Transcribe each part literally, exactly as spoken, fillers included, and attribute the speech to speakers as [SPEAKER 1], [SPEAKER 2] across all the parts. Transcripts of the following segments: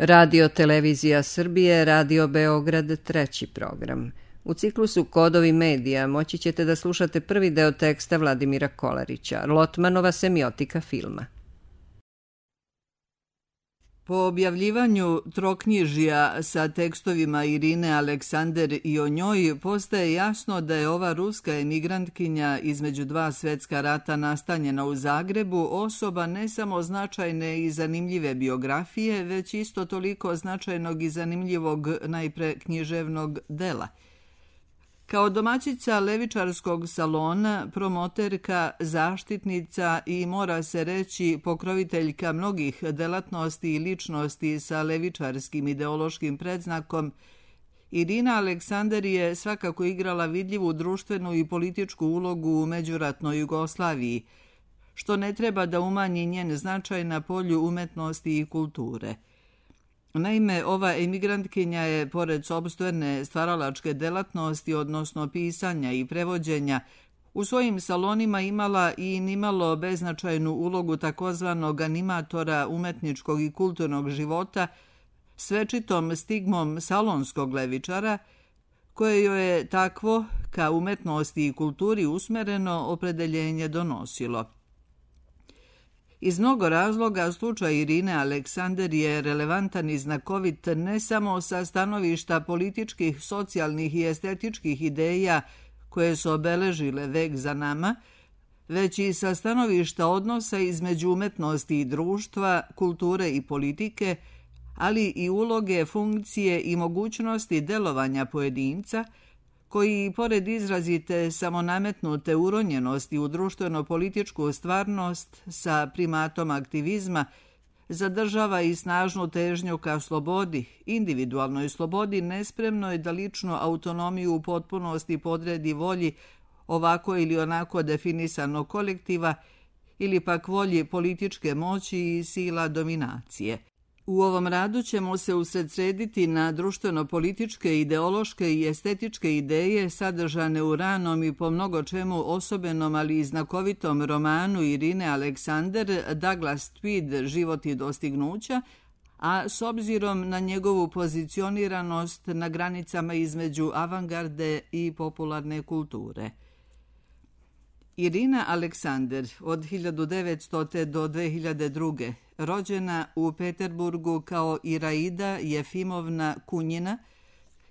[SPEAKER 1] Radio Televizija Srbije, Radio Beograd, treći program. U ciklusu Kodovi medija moći ćete da slušate prvi deo teksta Vladimira Kolarića, Lotmanova semiotika filma.
[SPEAKER 2] Po objavljivanju troknjižja sa tekstovima Irine Aleksander i o njoj postaje jasno da je ova ruska emigrantkinja između dva svetska rata nastanjena u Zagrebu osoba ne samo značajne i zanimljive biografije, već isto toliko značajnog i zanimljivog najpre književnog dela. Kao domaćica levičarskog salona, promoterka, zaštitnica i, mora se reći, pokroviteljka mnogih delatnosti i ličnosti sa levičarskim ideološkim predznakom, Irina Aleksander je svakako igrala vidljivu društvenu i političku ulogu u međuratnoj Jugoslaviji, što ne treba da umanji njen značaj na polju umetnosti i kulture. Naime, ova emigrantkinja je, pored sopstvene stvaralačke delatnosti, odnosno pisanja i prevođenja, u svojim salonima imala i nimalo beznačajnu ulogu takozvanog animatora umetničkog i kulturnog života s večitom stigmom salonskog levičara, koje joj je takvo, ka umetnosti i kulturi usmereno, opredeljenje donosilo. Iz mnogo razloga slučaj Irine Aleksander je relevantan i znakovit ne samo sa stanovišta političkih, socijalnih i estetičkih ideja koje su obeležile vek za nama, već i sa stanovišta odnosa između umetnosti i društva, kulture i politike, ali i uloge, funkcije i mogućnosti delovanja pojedinca, koji, pored izrazite samonametnute uronjenosti u društveno-političku stvarnost sa primatom aktivizma, zadržava i snažnu težnju ka slobodi, individualnoj slobodi, nespremnoj da ličnu autonomiju u potpunosti podredi volji ovako ili onako definisanog kolektiva ili pak volji političke moći i sila dominacije. U ovom radu ćemo se usredsrediti na društveno-političke, ideološke i estetičke ideje sadržane u ranom i po mnogo čemu osobenom, ali i znakovitom romanu Irine Aleksander Douglas Tweed Život i dostignuća, a s obzirom na njegovu pozicioniranost na granicama između avangarde i popularne kulture. Irina Aleksander od hiljadu devetstote. do dve hiljade druge. rođena u Peterburgu kao Iraida Jefimovna Kunjina,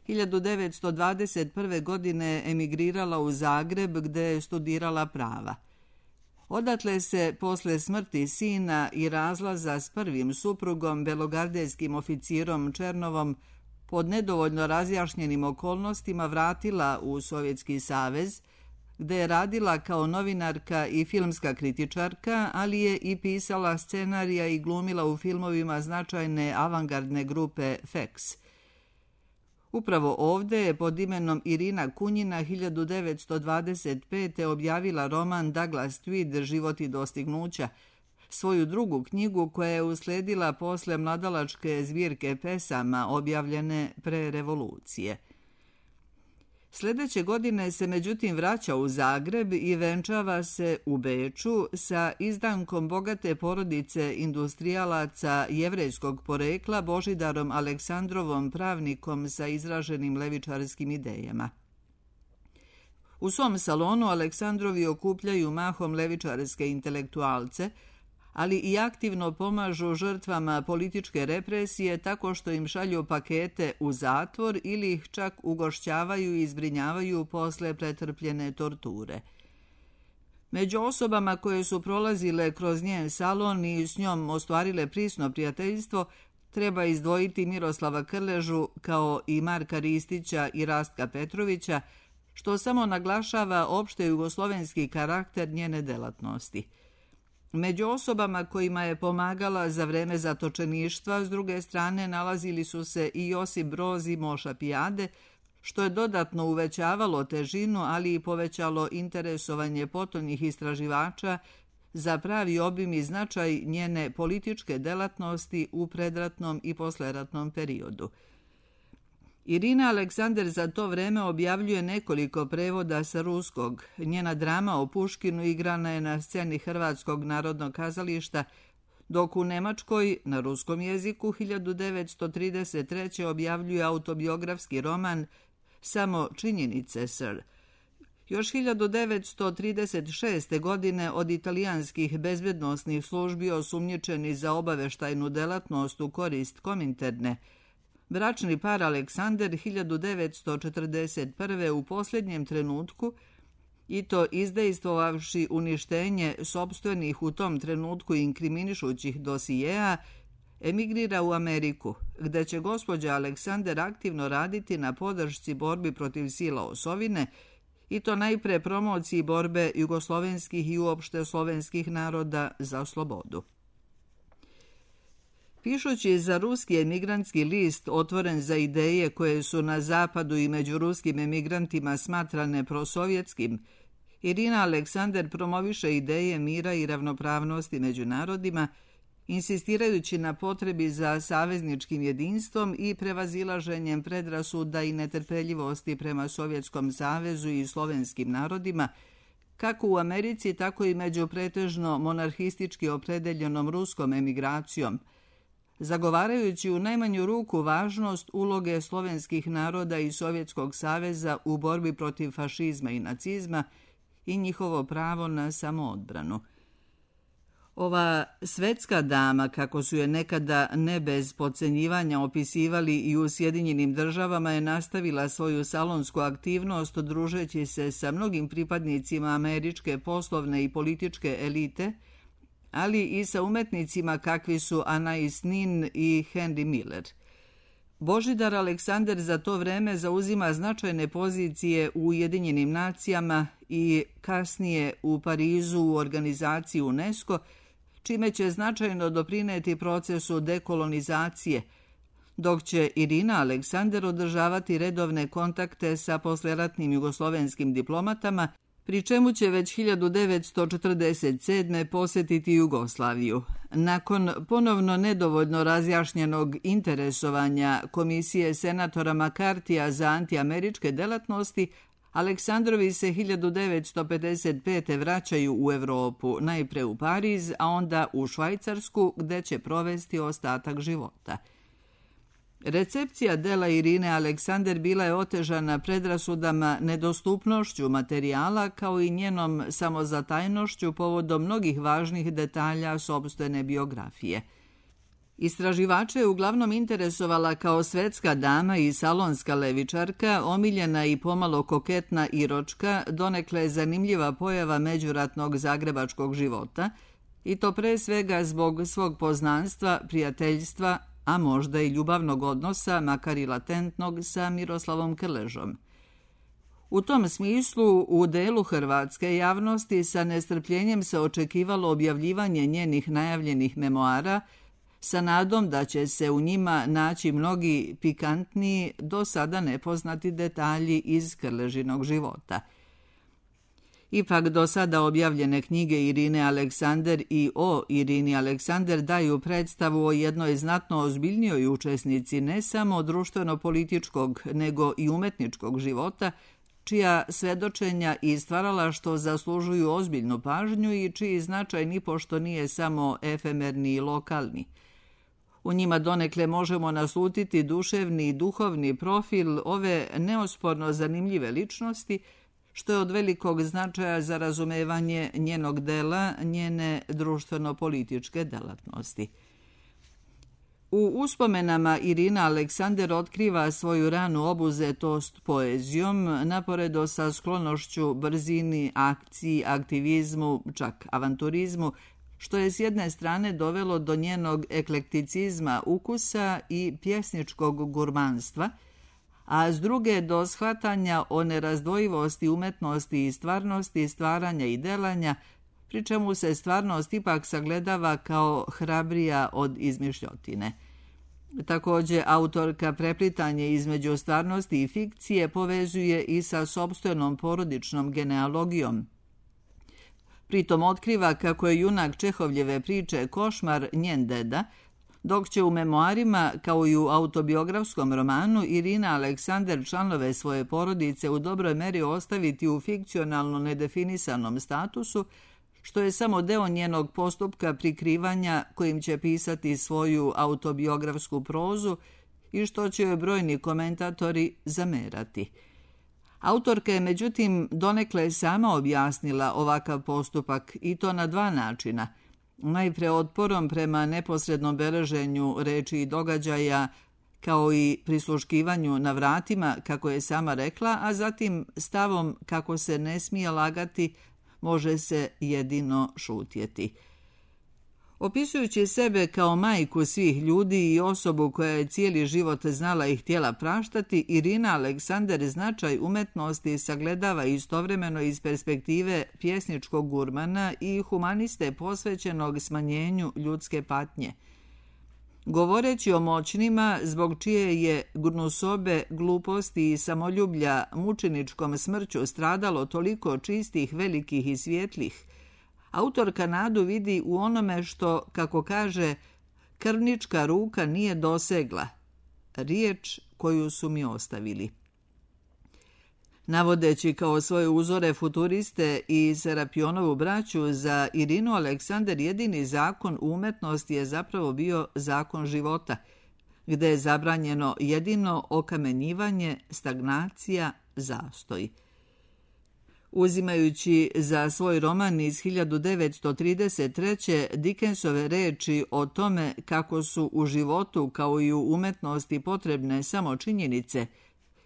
[SPEAKER 2] hiljadu devetsto dvadeset prve. godine emigrirala u Zagreb gde je studirala prava. Odatle se, posle smrti sina i razlaza s prvim suprugom, belogardejskim oficirom Černovom, pod nedovoljno razjašnjenim okolnostima vratila u Sovjetski savez, gde je radila kao novinarka i filmska kritičarka, ali je i pisala scenarija i glumila u filmovima značajne avangardne grupe F E X. Upravo ovde je pod imenom Irina Kunjina hiljadu devetsto dvadeset pete. objavila roman Douglas Tweed Život i dostignuća, svoju drugu knjigu koja je usledila posle mladalačke zbirke pesama objavljene pre revolucije. Sledeće godine se međutim vraća u Zagreb i venčava se u Beču sa izdankom bogate porodice industrijalaca jevrejskog porekla Božidarom Aleksandrovom, pravnikom sa izraženim levičarskim idejama. U svom salonu Aleksandrovi okupljaju mahom levičarske intelektualce, ali i aktivno pomažu žrtvama političke represije tako što im šalju pakete u zatvor ili ih čak ugošćavaju i zbrinjavaju posle pretrpljene torture. Među osobama koje su prolazile kroz njen salon i s njom ostvarile prisno prijateljstvo treba izdvojiti Miroslava Krležu kao i Marka Ristića i Rastka Petrovića, što samo naglašava opšte jugoslovenski karakter njene delatnosti. Među osobama kojima je pomagala za vreme zatočeništva, s druge strane, nalazili su se i Josip Broz i Moša Pijade, što je dodatno uvećavalo težinu, ali i povećalo interesovanje potonjih istraživača za pravi obim i značaj njene političke delatnosti u predratnom i posleratnom periodu. Irina Aleksander za to vreme objavljuje nekoliko prevoda sa ruskog. Njena drama o Puškinu igrana je na sceni Hrvatskog narodnog kazališta, dok u Nemačkoj na ruskom jeziku hiljadu devetsto trideset treće objavljuje autobiografski roman Samo činjenice, sir. Još hiljadu devetsto trideset šeste. godine od italijanskih bezbednosnih službi osumnjičeni za obaveštajnu delatnost u korist Kominterne, bračni par Aleksander hiljadu devetsto četrdeset prve. u posljednjem trenutku, i to izdejstvovavši uništenje sopstvenih u tom trenutku inkriminišućih dosijeja, emigrira u Ameriku, gde će gospođa Aleksander aktivno raditi na podršci borbi protiv sila osovine, i to najpre promociji borbe jugoslovenskih i uopšte slovenskih naroda za slobodu. Pišući za ruski emigrantski list otvoren za ideje koje su na zapadu i među ruskim emigrantima smatrane prosovjetskim, Irina Aleksander promoviše ideje mira i ravnopravnosti među narodima, insistirajući na potrebi za savezničkim jedinstvom i prevazilaženjem predrasuda i netrpeljivosti prema Sovjetskom savezu i slovenskim narodima, kako u Americi, tako i među pretežno monarhistički opredeljenom ruskom emigracijom, zagovarajući u najmanju ruku važnost uloge slovenskih naroda i Sovjetskog saveza u borbi protiv fašizma i nacizma i njihovo pravo na samoodbranu. Ova svetska dama, kako su je nekada ne bez podcenjivanja opisivali i u Sjedinjenim državama, je nastavila svoju salonsku aktivnost družeći se sa mnogim pripadnicima američke poslovne i političke elite, ali i sa umetnicima kakvi su Anais Nin i Henry Miller. Božidar Aleksander za to vreme zauzima značajne pozicije u Ujedinjenim nacijama i kasnije u Parizu u organizaciji UNESCO, čime će značajno doprineti procesu dekolonizacije, dok će Irina Aleksander održavati redovne kontakte sa posleratnim jugoslovenskim diplomatama, pri čemu će već hiljadu devetsto četrdeset sedme. posjetiti Jugoslaviju. Nakon ponovno nedovoljno razjašnjenog interesovanja Komisije senatora Makartija za antiameričke delatnosti, Aleksandrovi se hiljadu devetsto pedeset pete. vraćaju u Evropu, najpre u Pariz, a onda u Švajcarsku, gde će provesti ostatak života. Recepcija dela Irine Aleksander bila je otežana predrasudama, nedostupnošću materijala, kao i njenom samozatajnošću povodom mnogih važnih detalja sopstvene biografije. Istraživače je uglavnom interesovala kao svetska dama i salonska levičarka, omiljena i pomalo koketna iročka, donekle zanimljiva pojava međuratnog zagrebačkog života, i to pre svega zbog svog poznanstva, prijateljstva, a možda i ljubavnog odnosa, makar i latentnog, sa Miroslavom Krležom. U tom smislu, u delu hrvatske javnosti sa nestrpljenjem se očekivalo objavljivanje njenih najavljenih memoara, sa nadom da će se u njima naći mnogi pikantniji, do sada nepoznati detalji iz Krležinog života. Ipak do sada objavljene knjige Irine Aleksander i o Irini Aleksander daju predstavu o jednoj znatno ozbiljnijoj učesnici ne samo društveno-političkog, nego i umetničkog života, čija svedočenja i stvaralaštvo zaslužuju ozbiljnu pažnju i čiji značaj nipošto nije samo efemerni i lokalni. U njima donekle možemo naslutiti duševni i duhovni profil ove neosporno zanimljive ličnosti, što je od velikog značaja za razumevanje njenog dela, njene društveno-političke delatnosti. U uspomenama Irina Aleksander otkriva svoju ranu obuzetost poezijom, naporedo sa sklonošću brzini, akciji, aktivizmu, čak avanturizmu, što je s jedne strane dovelo do njenog eklekticizma ukusa i pjesničkog gurmanstva, a s druge do shvatanja o nerazdvojivosti umetnosti i stvarnosti, stvaranja i delanja, pri čemu se stvarnost ipak sagledava kao hrabrija od izmišljotine. Također, autorka preplitanje između stvarnosti i fikcije povezuje i sa sopstvenom porodičnom genealogijom. Pritom otkriva kako je junak Čehovljeve priče Košmar njen deda, dok će u memoarima, kao i u autobiografskom romanu, Irina Aleksander članove svoje porodice u dobroj meri ostaviti u fikcionalno nedefinisanom statusu, što je samo deo njenog postupka prikrivanja kojim će pisati svoju autobiografsku prozu i što će joj brojni komentatori zamerati. Autorka je međutim donekle sama objasnila ovakav postupak i to na dva načina. Najpre otporom prema neposrednom beleženju reči i događaja, kao i prisluškivanju na vratima, kako je sama rekla, a zatim stavom kako se ne smije lagati, može se jedino šutjeti. Opisujući sebe kao majku svih ljudi i osobu koja je cijeli život znala i htjela praštati, Irina Aleksander značaj umetnosti sagledava istovremeno iz perspektive pjesničkog gurmana i humaniste posvećenog smanjenju ljudske patnje. Govoreći o moćnima, zbog čije je gnusobe, gluposti i samoljublja mučeničkom smrću stradalo toliko čistih, velikih i svjetlih, autorka nadu vidi u onome što, kako kaže, krvnička ruka nije dosegla, riječ koju su mi ostavili. Navodeći kao svoje uzore futuriste i Serapionovu braću, za Irinu Aleksander jedini zakon u umetnosti je zapravo bio zakon života, gde je zabranjeno jedino okamenjivanje, stagnacija, zastoj. Uzimajući za svoj roman iz hiljadu devetsto trideset treće Dickensove reči o tome kako su u životu kao i u umetnosti potrebne samo činjenice,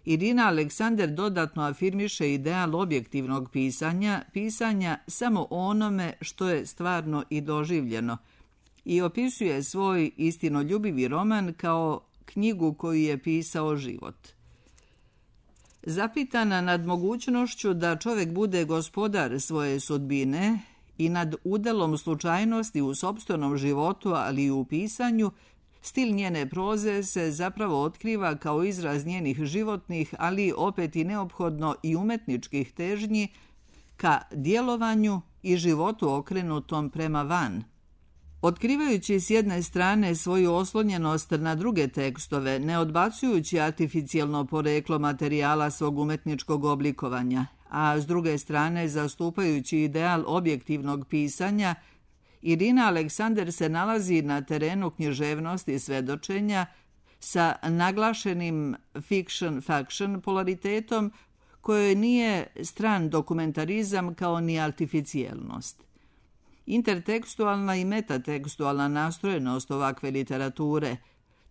[SPEAKER 2] Irina Aleksander dodatno afirmiše ideal objektivnog pisanja, pisanja samo onome što je stvarno i doživljeno, i opisuje svoj istinoljubivi roman kao knjigu koju je pisao život. Zapitana nad mogućnošću da čovjek bude gospodar svoje sudbine i nad udelom slučajnosti u sopstvenom životu, ali i u pisanju, stil njene proze se zapravo otkriva kao izraz njenih životnih, ali opet i neophodno i umetničkih težnji ka djelovanju i životu okrenutom prema van. Otkrivajući s jedne strane svoju oslonjenost na druge tekstove, ne odbacujući artificijelno poreklo materijala svog umetničkog oblikovanja, a s druge strane zastupajući ideal objektivnog pisanja, Irina Aleksander se nalazi na terenu književnosti i svedočenja sa naglašenim fiction-faction polaritetom kojoj nije stran dokumentarizam kao ni artificijelnost. Intertekstualna i metatekstualna nastrojenost ovakve literature,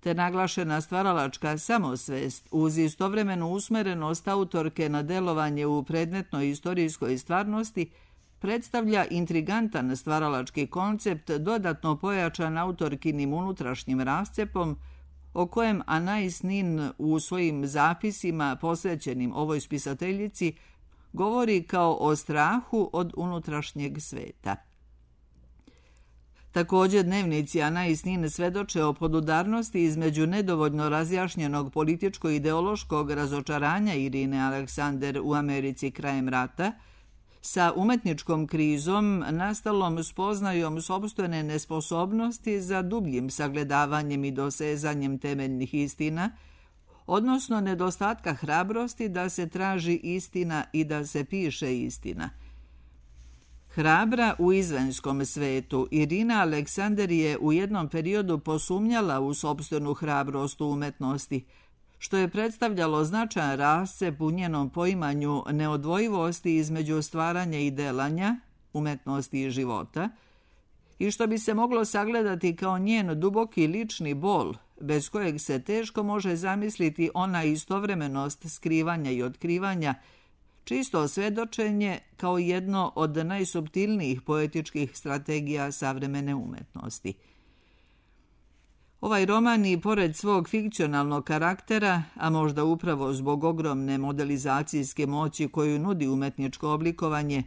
[SPEAKER 2] te naglašena stvaralačka samosvest uz istovremenu usmerenost autorke na delovanje u predmetnoj istorijskoj stvarnosti predstavlja intrigantan stvaralački koncept dodatno pojačan autorkinim unutrašnjim rascepom, o kojem Anais Nin u svojim zapisima posvećenim ovoj spisateljici govori kao o strahu od unutrašnjeg sveta. Također dnevnici Anais Nin svedoče o podudarnosti između nedovoljno razjašnjenog političko-ideološkog razočaranja Irine Aleksander u Americi krajem rata, sa umetničkom krizom nastalom spoznajom sopstvene nesposobnosti za dubljim sagledavanjem i dosezanjem temeljnih istina, odnosno nedostatka hrabrosti da se traži istina i da se piše istina. Hrabra u izvanjskom svetu, Irina Aleksander je u jednom periodu posumnjala u sopstvenu hrabrost u umetnosti, što je predstavljalo značajan rascep u njenom poimanju neodvojivosti između stvaranja i delanja, umetnosti i života, i što bi se moglo sagledati kao njen duboki lični bol, bez kojeg se teško može zamisliti ona istovremenost skrivanja i otkrivanja, čisto svedočenje kao jedno od najsuptilnijih poetičkih strategija savremene umetnosti. Ovaj roman i pored svog fikcionalnog karaktera, a možda upravo zbog ogromne modelizacijske moći koju nudi umetničko oblikovanje,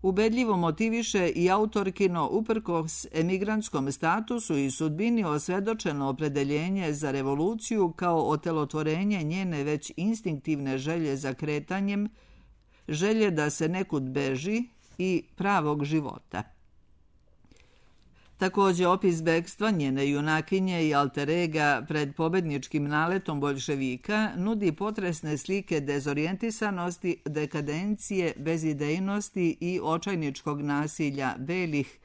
[SPEAKER 2] ubedljivo motiviše i autorkino uprkos emigrantskom statusu i sudbini osvedočeno opredeljenje za revoluciju kao otelotvorenje njene već instinktivne želje za kretanjem, želje da se nekud beži i pravog života. Također, opis bekstva njene junakinje i alter ega pred pobedničkim naletom boljševika nudi potresne slike dezorijentisanosti, dekadencije, bezidejnosti i očajničkog nasilja belih,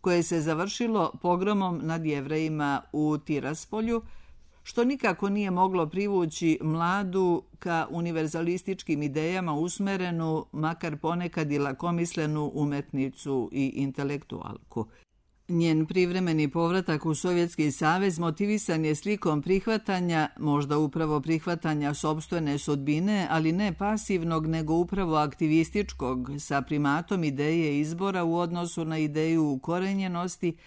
[SPEAKER 2] koje se završilo pogromom nad Jevrejima u Tiraspolju, što nikako nije moglo privući mladu ka univerzalističkim idejama usmerenu, makar ponekad i lakomislenu umetnicu i intelektualku. Njen privremeni povratak u Sovjetski savez motivisan je slikom prihvatanja, možda upravo prihvatanja sopstvene sudbine, ali ne pasivnog, nego upravo aktivističkog, sa primatom ideje izbora u odnosu na ideju ukorenjenosti,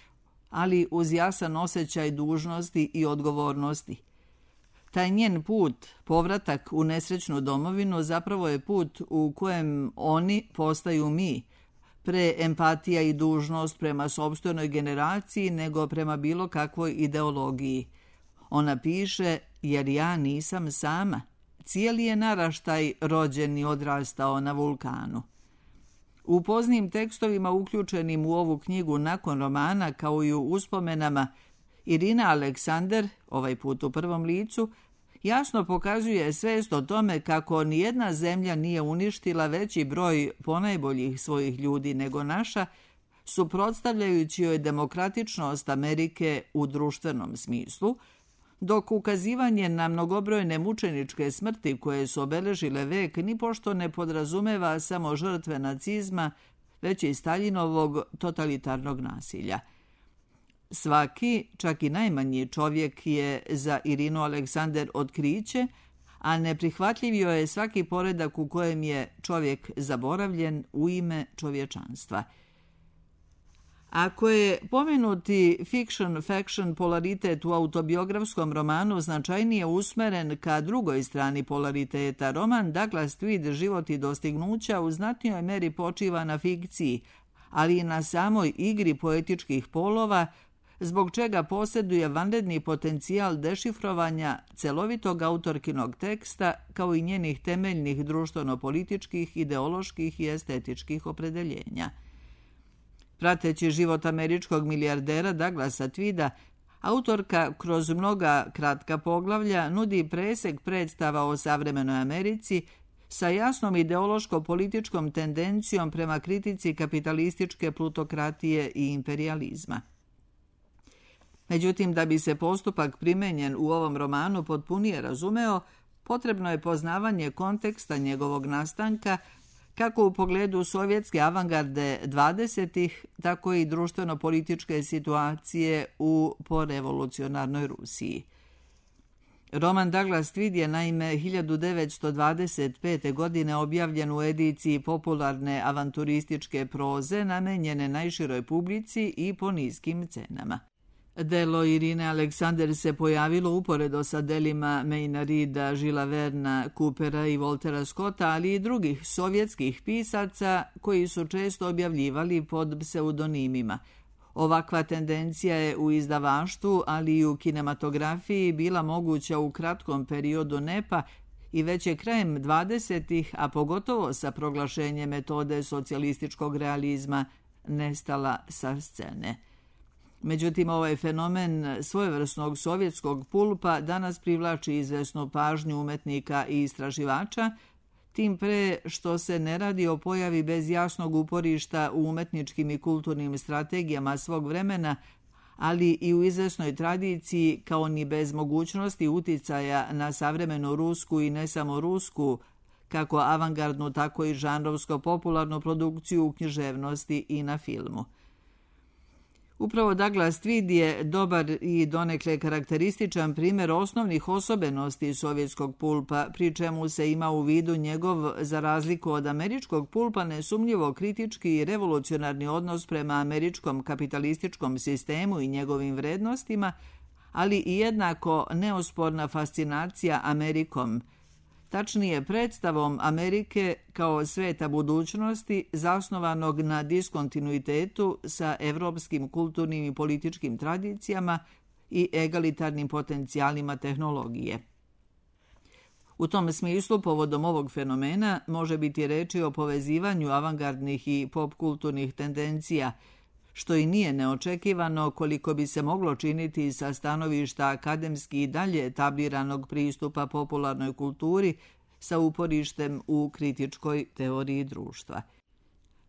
[SPEAKER 2] ali uz jasan osjećaj dužnosti i odgovornosti. Taj njen put, povratak u nesrećnu domovinu, zapravo je put u kojem oni postaju mi, pre empatija i dužnost prema sopstvenoj generaciji nego prema bilo kakvoj ideologiji. Ona piše, jer ja nisam sama. Cijeli je naraštaj rođen i odrastao na vulkanu. U poznim tekstovima uključenim u ovu knjigu nakon romana, kao i u uspomenama, Irina Aleksander, ovaj put u prvom licu, jasno pokazuje svest o tome kako nijedna zemlja nije uništila veći broj ponajboljih svojih ljudi nego naša, suprotstavljajući joj demokratičnost Amerike u društvenom smislu, dok ukazivanje na mnogobrojne mučeničke smrti koje su obeležile vek nipošto ne podrazumeva samo žrtve nacizma, već i Staljinovog totalitarnog nasilja. Svaki, čak i najmanji čovjek je za Irinu Aleksander otkriće, a neprihvatljiv joj je svaki poredak u kojem je čovjek zaboravljen u ime čovječanstva. Ako je pomenuti fiction-faction polaritet u autobiografskom romanu značajnije usmeren ka drugoj strani polariteta, roman Douglas Tweed Život i dostignuća u znatnijoj meri počiva na fikciji, ali i na samoj igri poetičkih polova, zbog čega posjeduje vanredni potencijal dešifrovanja celovitog autorkinog teksta kao i njenih temeljnih društveno-političkih, ideoloških i estetičkih opredeljenja. Prateći život američkog milijardera Douglasa Tweeda, autorka kroz mnoga kratka poglavlja nudi presek predstava o savremenoj Americi sa jasnom ideološko-političkom tendencijom prema kritici kapitalističke plutokratije i imperializma. Međutim, da bi se postupak primenjen u ovom romanu potpunije razumeo, potrebno je poznavanje konteksta njegovog nastanka, kako u pogledu sovjetske avangarde dvadesetih, tako i društveno-političke situacije u porevolucionarnoj Rusiji. Roman Douglas Tweed je naime hiljadu devetsto dvadeset pete. godine objavljen u ediciji popularne avanturističke proze namenjene najširoj publici i po niskim cenama. Delo Irine Aleksander se pojavilo uporedo sa delima Mayna Reeda, Žila Verna, Coopera i Waltera Scotta, ali i drugih sovjetskih pisaca koji su često objavljivali pod pseudonimima. Ovakva tendencija je u izdavaštvu, ali i u kinematografiji bila moguća u kratkom periodu nepa i već je krajem dvadesetih, a pogotovo sa proglašenjem metode socijalističkog realizma, nestala sa scene. Međutim, ovaj fenomen svojevrsnog sovjetskog pulpa danas privlači izvesnu pažnju umetnika i istraživača, tim pre što se ne radi o pojavi bez jasnog uporišta u umetničkim i kulturnim strategijama svog vremena, ali i u izvesnoj tradiciji kao ni bez mogućnosti uticaja na savremenu rusku i ne samo rusku, kako avangardnu, tako i žanrovsko-popularnu produkciju u književnosti i na filmu. Upravo Douglas Tweed je dobar i donekle karakterističan primjer osnovnih osobenosti sovjetskog pulpa, pri čemu se ima u vidu njegov, za razliku od američkog pulpa, nesumnjivo kritički i revolucionarni odnos prema američkom kapitalističkom sistemu i njegovim vrednostima, ali i jednako neosporna fascinacija Amerikom, tačnije predstavom Amerike kao sveta budućnosti zasnovanog na diskontinuitetu sa evropskim kulturnim i političkim tradicijama i egalitarnim potencijalima tehnologije. U tom smislu, povodom ovog fenomena, može biti reči o povezivanju avangardnih i popkulturnih tendencija, što i nije neočekivano koliko bi se moglo činiti sa stanovišta akademski i dalje etabliranog pristupa popularnoj kulturi sa uporištem u kritičkoj teoriji društva.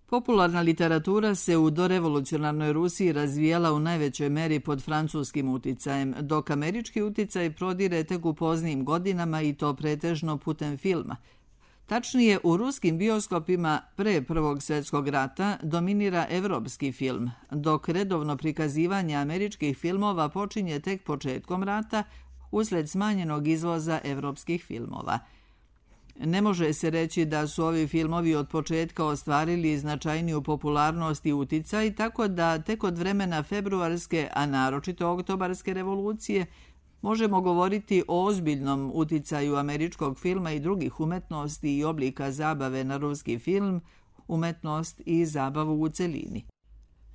[SPEAKER 2] Popularna literatura se u dorevolucionarnoj Rusiji razvijala u najvećoj meri pod francuskim uticajem, dok američki uticaj prodire tek u poznijim godinama i to pretežno putem filma. Tačnije, u ruskim bioskopima pre Prvog svjetskog rata dominira evropski film, dok redovno prikazivanje američkih filmova počinje tek početkom rata usled smanjenog izvoza evropskih filmova. Ne može se reći da su ovi filmovi od početka ostvarili značajniju popularnost i uticaj, tako da tek od vremena februarske, a naročito oktobarske revolucije, možemo govoriti o ozbiljnom uticaju američkog filma i drugih umetnosti i oblika zabave na ruski film, umetnost i zabavu u celini.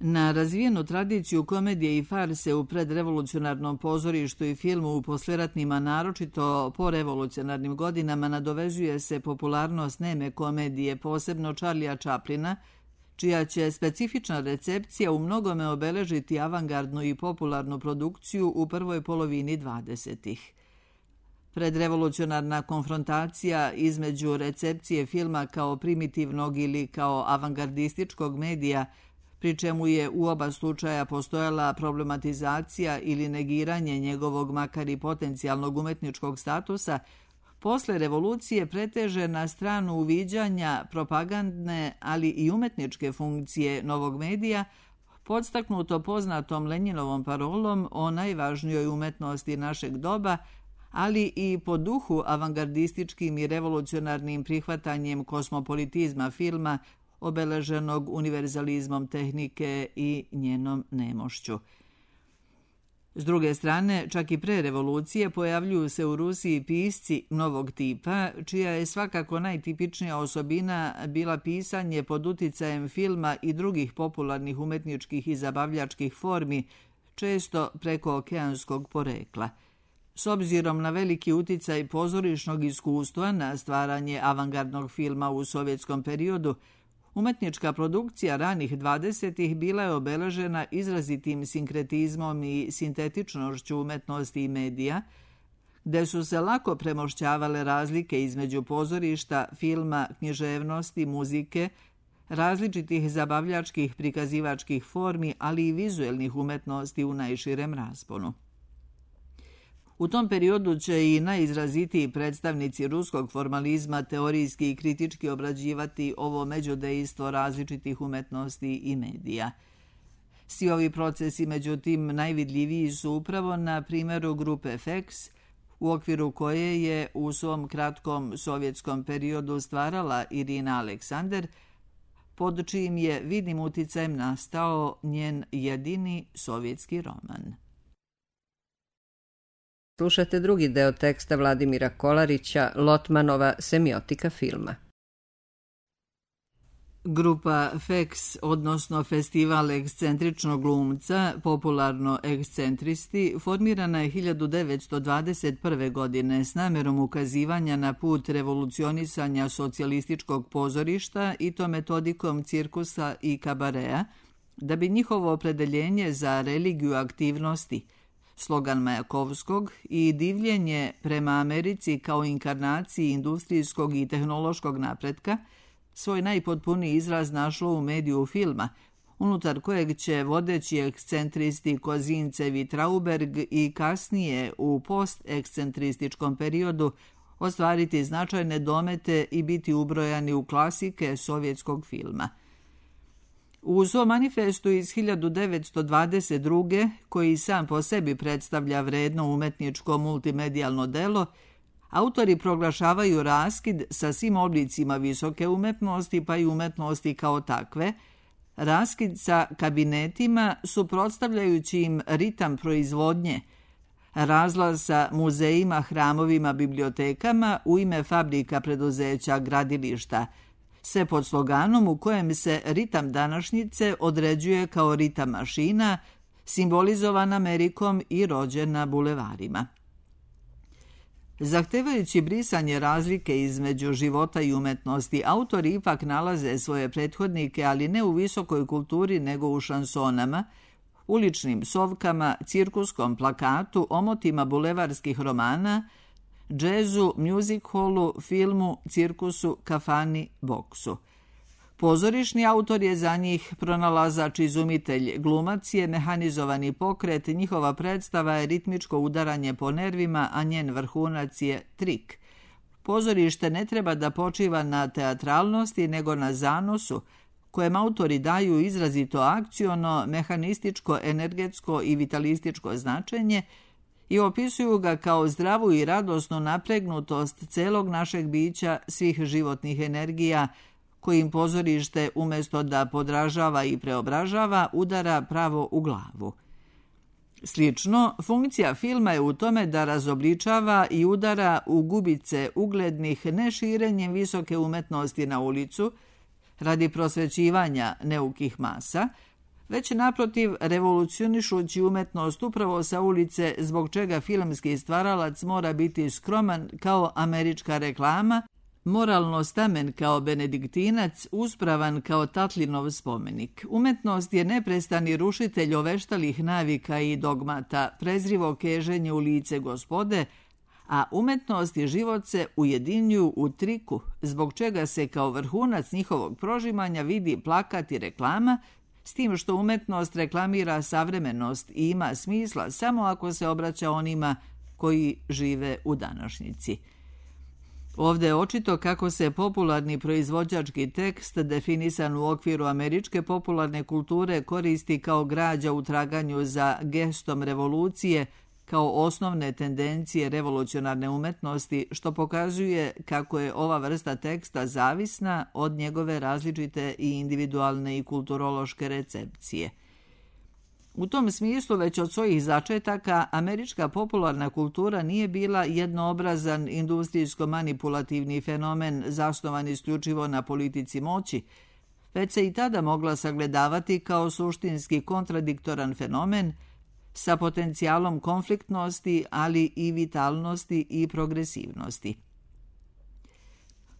[SPEAKER 2] Na razvijenu tradiciju komedije i farse u predrevolucionarnom pozorištu i filmu u posleratnima, naročito po revolucionarnim godinama, nadovezuje se popularnost neme komedije, posebno Charlija Chaplina, čija će specifična recepcija u mnogome obeležiti avangardnu i popularnu produkciju u prvoj polovini dvadesetih. Predrevolucionarna konfrontacija između recepcije filma kao primitivnog ili kao avangardističkog medija, pri čemu je u oba slučaja postojala problematizacija ili negiranje njegovog makar i potencijalnog umetničkog statusa, posle revolucije preteže na stranu uviđanja propagandne, ali i umetničke funkcije novog medija, podstaknuto poznatom Lenjinovom parolom o najvažnijoj umetnosti našeg doba, ali i po duhu avangardističkim i revolucionarnim prihvatanjem kosmopolitizma filma, obeleženog univerzalizmom tehnike i njenom nemošću. S druge strane, čak i pre revolucije pojavljuju se u Rusiji pisci novog tipa, čija je svakako najtipičnija osobina bila pisanje pod uticajem filma i drugih popularnih umetničkih i zabavljačkih formi, često preko okeanskog porekla. S obzirom na veliki uticaj pozorišnog iskustva na stvaranje avangardnog filma u sovjetskom periodu, umetnička produkcija ranih dvadesetih bila je obeležena izrazitim sinkretizmom i sintetičnošću umetnosti i medija, gde su se lako premošćavale razlike između pozorišta, filma, književnosti, muzike, različitih zabavljačkih prikazivačkih formi, ali i vizuelnih umetnosti u najširem rasponu. U tom periodu će i najizrazitiji predstavnici ruskog formalizma teorijski i kritički obrađivati ovo međudejstvo različitih umetnosti i medija. Svi ovi procesi, međutim, najvidljiviji su upravo na primjeru grupe F E X, u okviru koje je u svom kratkom sovjetskom periodu stvarala Irina Aleksander, pod čijim je vidnim uticajem nastao njen jedini sovjetski roman.
[SPEAKER 1] Slušate drugi deo teksta Vladimira Kolarića, Lotmanova semiotika filma.
[SPEAKER 2] Grupa F E X, odnosno Festival ekscentričnog glumca, popularno ekscentristi, formirana je hiljadu devetsto dvadeset prve. godine s namjerom ukazivanja na put revolucionisanja socijalističkog pozorišta i to metodikom cirkusa i kabarea, da bi njihovo opredeljenje za religiju aktivnosti, slogan Majakovskog i divljenje prema Americi kao inkarnaciji industrijskog i tehnološkog napretka, svoj najpotpuniji izraz našlo u mediju filma, unutar kojeg će vodeći ekscentristi Kozincev i Trauberg i kasnije u post-ekscentrističkom periodu ostvariti značajne domete i biti ubrojani u klasike sovjetskog filma. U svom manifestu iz hiljadu devetsto dvadeset druge. koji sam po sebi predstavlja vredno umetničko multimedijalno delo, autori proglašavaju raskid sa svim oblicima visoke umetnosti pa i umetnosti kao takve, raskid sa kabinetima suprotstavljajući im ritam proizvodnje, razlaz sa muzejima, hramovima, bibliotekama u ime fabrika, preduzeća, gradilišta, sve pod sloganom u kojem se ritam današnjice određuje kao ritam mašina, simbolizovan Amerikom i rođen na bulevarima. Zahtevajući brisanje razlike između života i umetnosti, autori ipak nalaze svoje prethodnike, ali ne u visokoj kulturi nego u šansonama, uličnim psovkama, cirkuskom plakatu, omotima bulevarskih romana, džezu, music hallu, filmu, cirkusu, kafani, boksu. Pozorišni autor je za njih pronalazač, izumitelj, glumac je mehanizovani pokret, njihova predstava je ritmičko udaranje po nervima, a njen vrhunac je trik. Pozorište ne treba da počiva na teatralnosti, nego na zanosu, kojem autori daju izrazito akciono, mehanističko, energetsko i vitalističko značenje i opisuju ga kao zdravu i radosnu napregnutost celog našeg bića, svih životnih energija, kojim pozorište, umjesto da podražava i preobražava, udara pravo u glavu. Slično, funkcija filma je u tome da razobličava i udara u gubice uglednih ne širenjem visoke umetnosti na ulicu, radi prosvećivanja neukih masa, već naprotiv revolucionišući umetnost upravo sa ulice, zbog čega filmski stvaralac mora biti skroman kao američka reklama, moralno stamen kao benediktinac, uspravan kao Tatlinov spomenik. Umetnost je neprestani rušitelj oveštalih navika i dogmata, prezrivo keženje u lice gospode, a umetnost i život se ujedinjuju u triku, zbog čega se kao vrhunac njihovog prožimanja vidi plakat i reklama, s tim što umetnost reklamira savremenost i ima smisla samo ako se obraća onima koji žive u današnjici. Ovdje je očito kako se popularni proizvođački tekst, definisan u okviru američke popularne kulture, koristi kao građa u traganju za gestom revolucije, kao osnovne tendencije revolucionarne umetnosti, što pokazuje kako je ova vrsta teksta zavisna od njegove različite i individualne i kulturološke recepcije. U tom smislu, već od svojih začetaka, američka popularna kultura nije bila jednoobrazan industrijsko-manipulativni fenomen zasnovan isključivo na politici moći, već se i tada mogla sagledavati kao suštinski kontradiktoran fenomen sa potencijalom konfliktnosti, ali i vitalnosti i progresivnosti.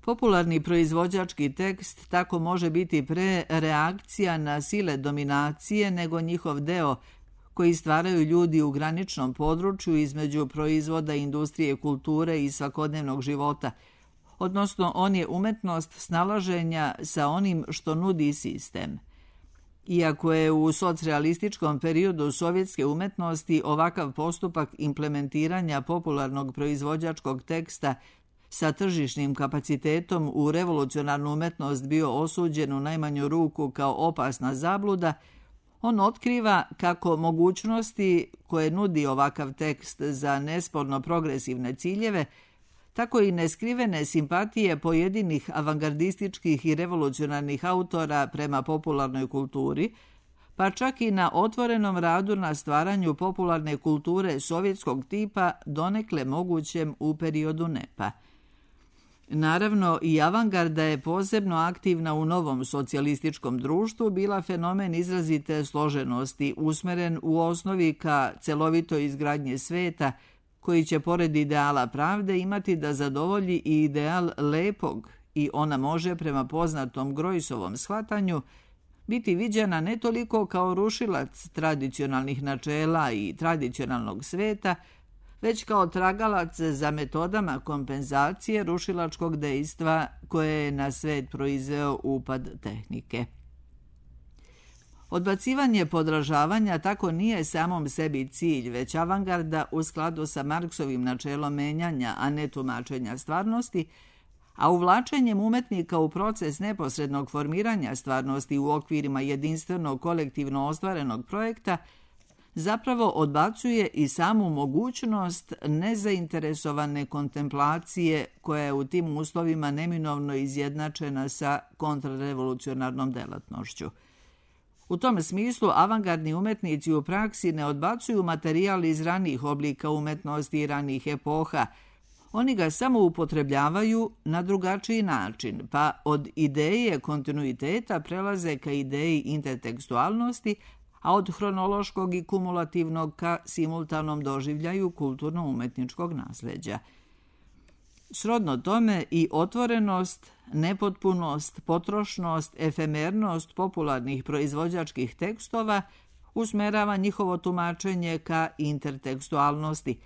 [SPEAKER 2] Popularni proizvođački tekst tako može biti pre reakcija na sile dominacije nego njihov deo koji stvaraju ljudi u graničnom području između proizvoda industrije, kulture i svakodnevnog života, odnosno on je umetnost snalaženja sa onim što nudi sistem. Iako je u socrealističkom periodu sovjetske umetnosti ovakav postupak implementiranja popularnog proizvođačkog teksta sa tržišnim kapacitetom u revolucionarnu umetnost bio osuđen u najmanju ruku kao opasna zabluda, on otkriva kako mogućnosti koje nudi ovakav tekst za nesporno progresivne ciljeve, tako i neskrivene simpatije pojedinih avangardističkih i revolucionarnih autora prema popularnoj kulturi, pa čak i na otvorenom radu na stvaranju popularne kulture sovjetskog tipa donekle mogućem u periodu nepa. Naravno, i avangarda je posebno aktivna u novom socijalističkom društvu bila fenomen izrazite složenosti, usmeren u osnovi ka celovitoj izgradnje sveta, koji će pored ideala pravde imati da zadovolji i ideal lepog i ona može prema poznatom Grojsovom shvatanju biti viđena ne toliko kao rušilac tradicionalnih načela i tradicionalnog sveta, već kao tragalac za metodama kompenzacije rušilačkog dejstva koje je na svet proizveo upad tehnike. Odbacivanje podražavanja tako nije samom sebi cilj, već avangarda u skladu sa Marksovim načelom menjanja, a ne tumačenja stvarnosti, a uvlačenjem umetnika u proces neposrednog formiranja stvarnosti u okvirima jedinstvenog kolektivno ostvarenog projekta zapravo odbacuje i samu mogućnost nezainteresovane kontemplacije koja je u tim uslovima neminovno izjednačena sa kontrarevolucionarnom delatnošću. U tom smislu avangardni umetnici u praksi ne odbacuju materijal iz ranijih oblika umetnosti i ranijih epoha, oni ga samo upotrebljavaju na drugačiji način, pa od ideje kontinuiteta prelaze ka ideji intertekstualnosti, a od hronološkog i kumulativnog ka simultanom doživljaju kulturno-umetničkog nasleđa. Srodno tome i otvorenost, nepotpunost, potrošnost, efemernost popularnih proizvođačkih tekstova usmerava njihovo tumačenje ka intertekstualnosti,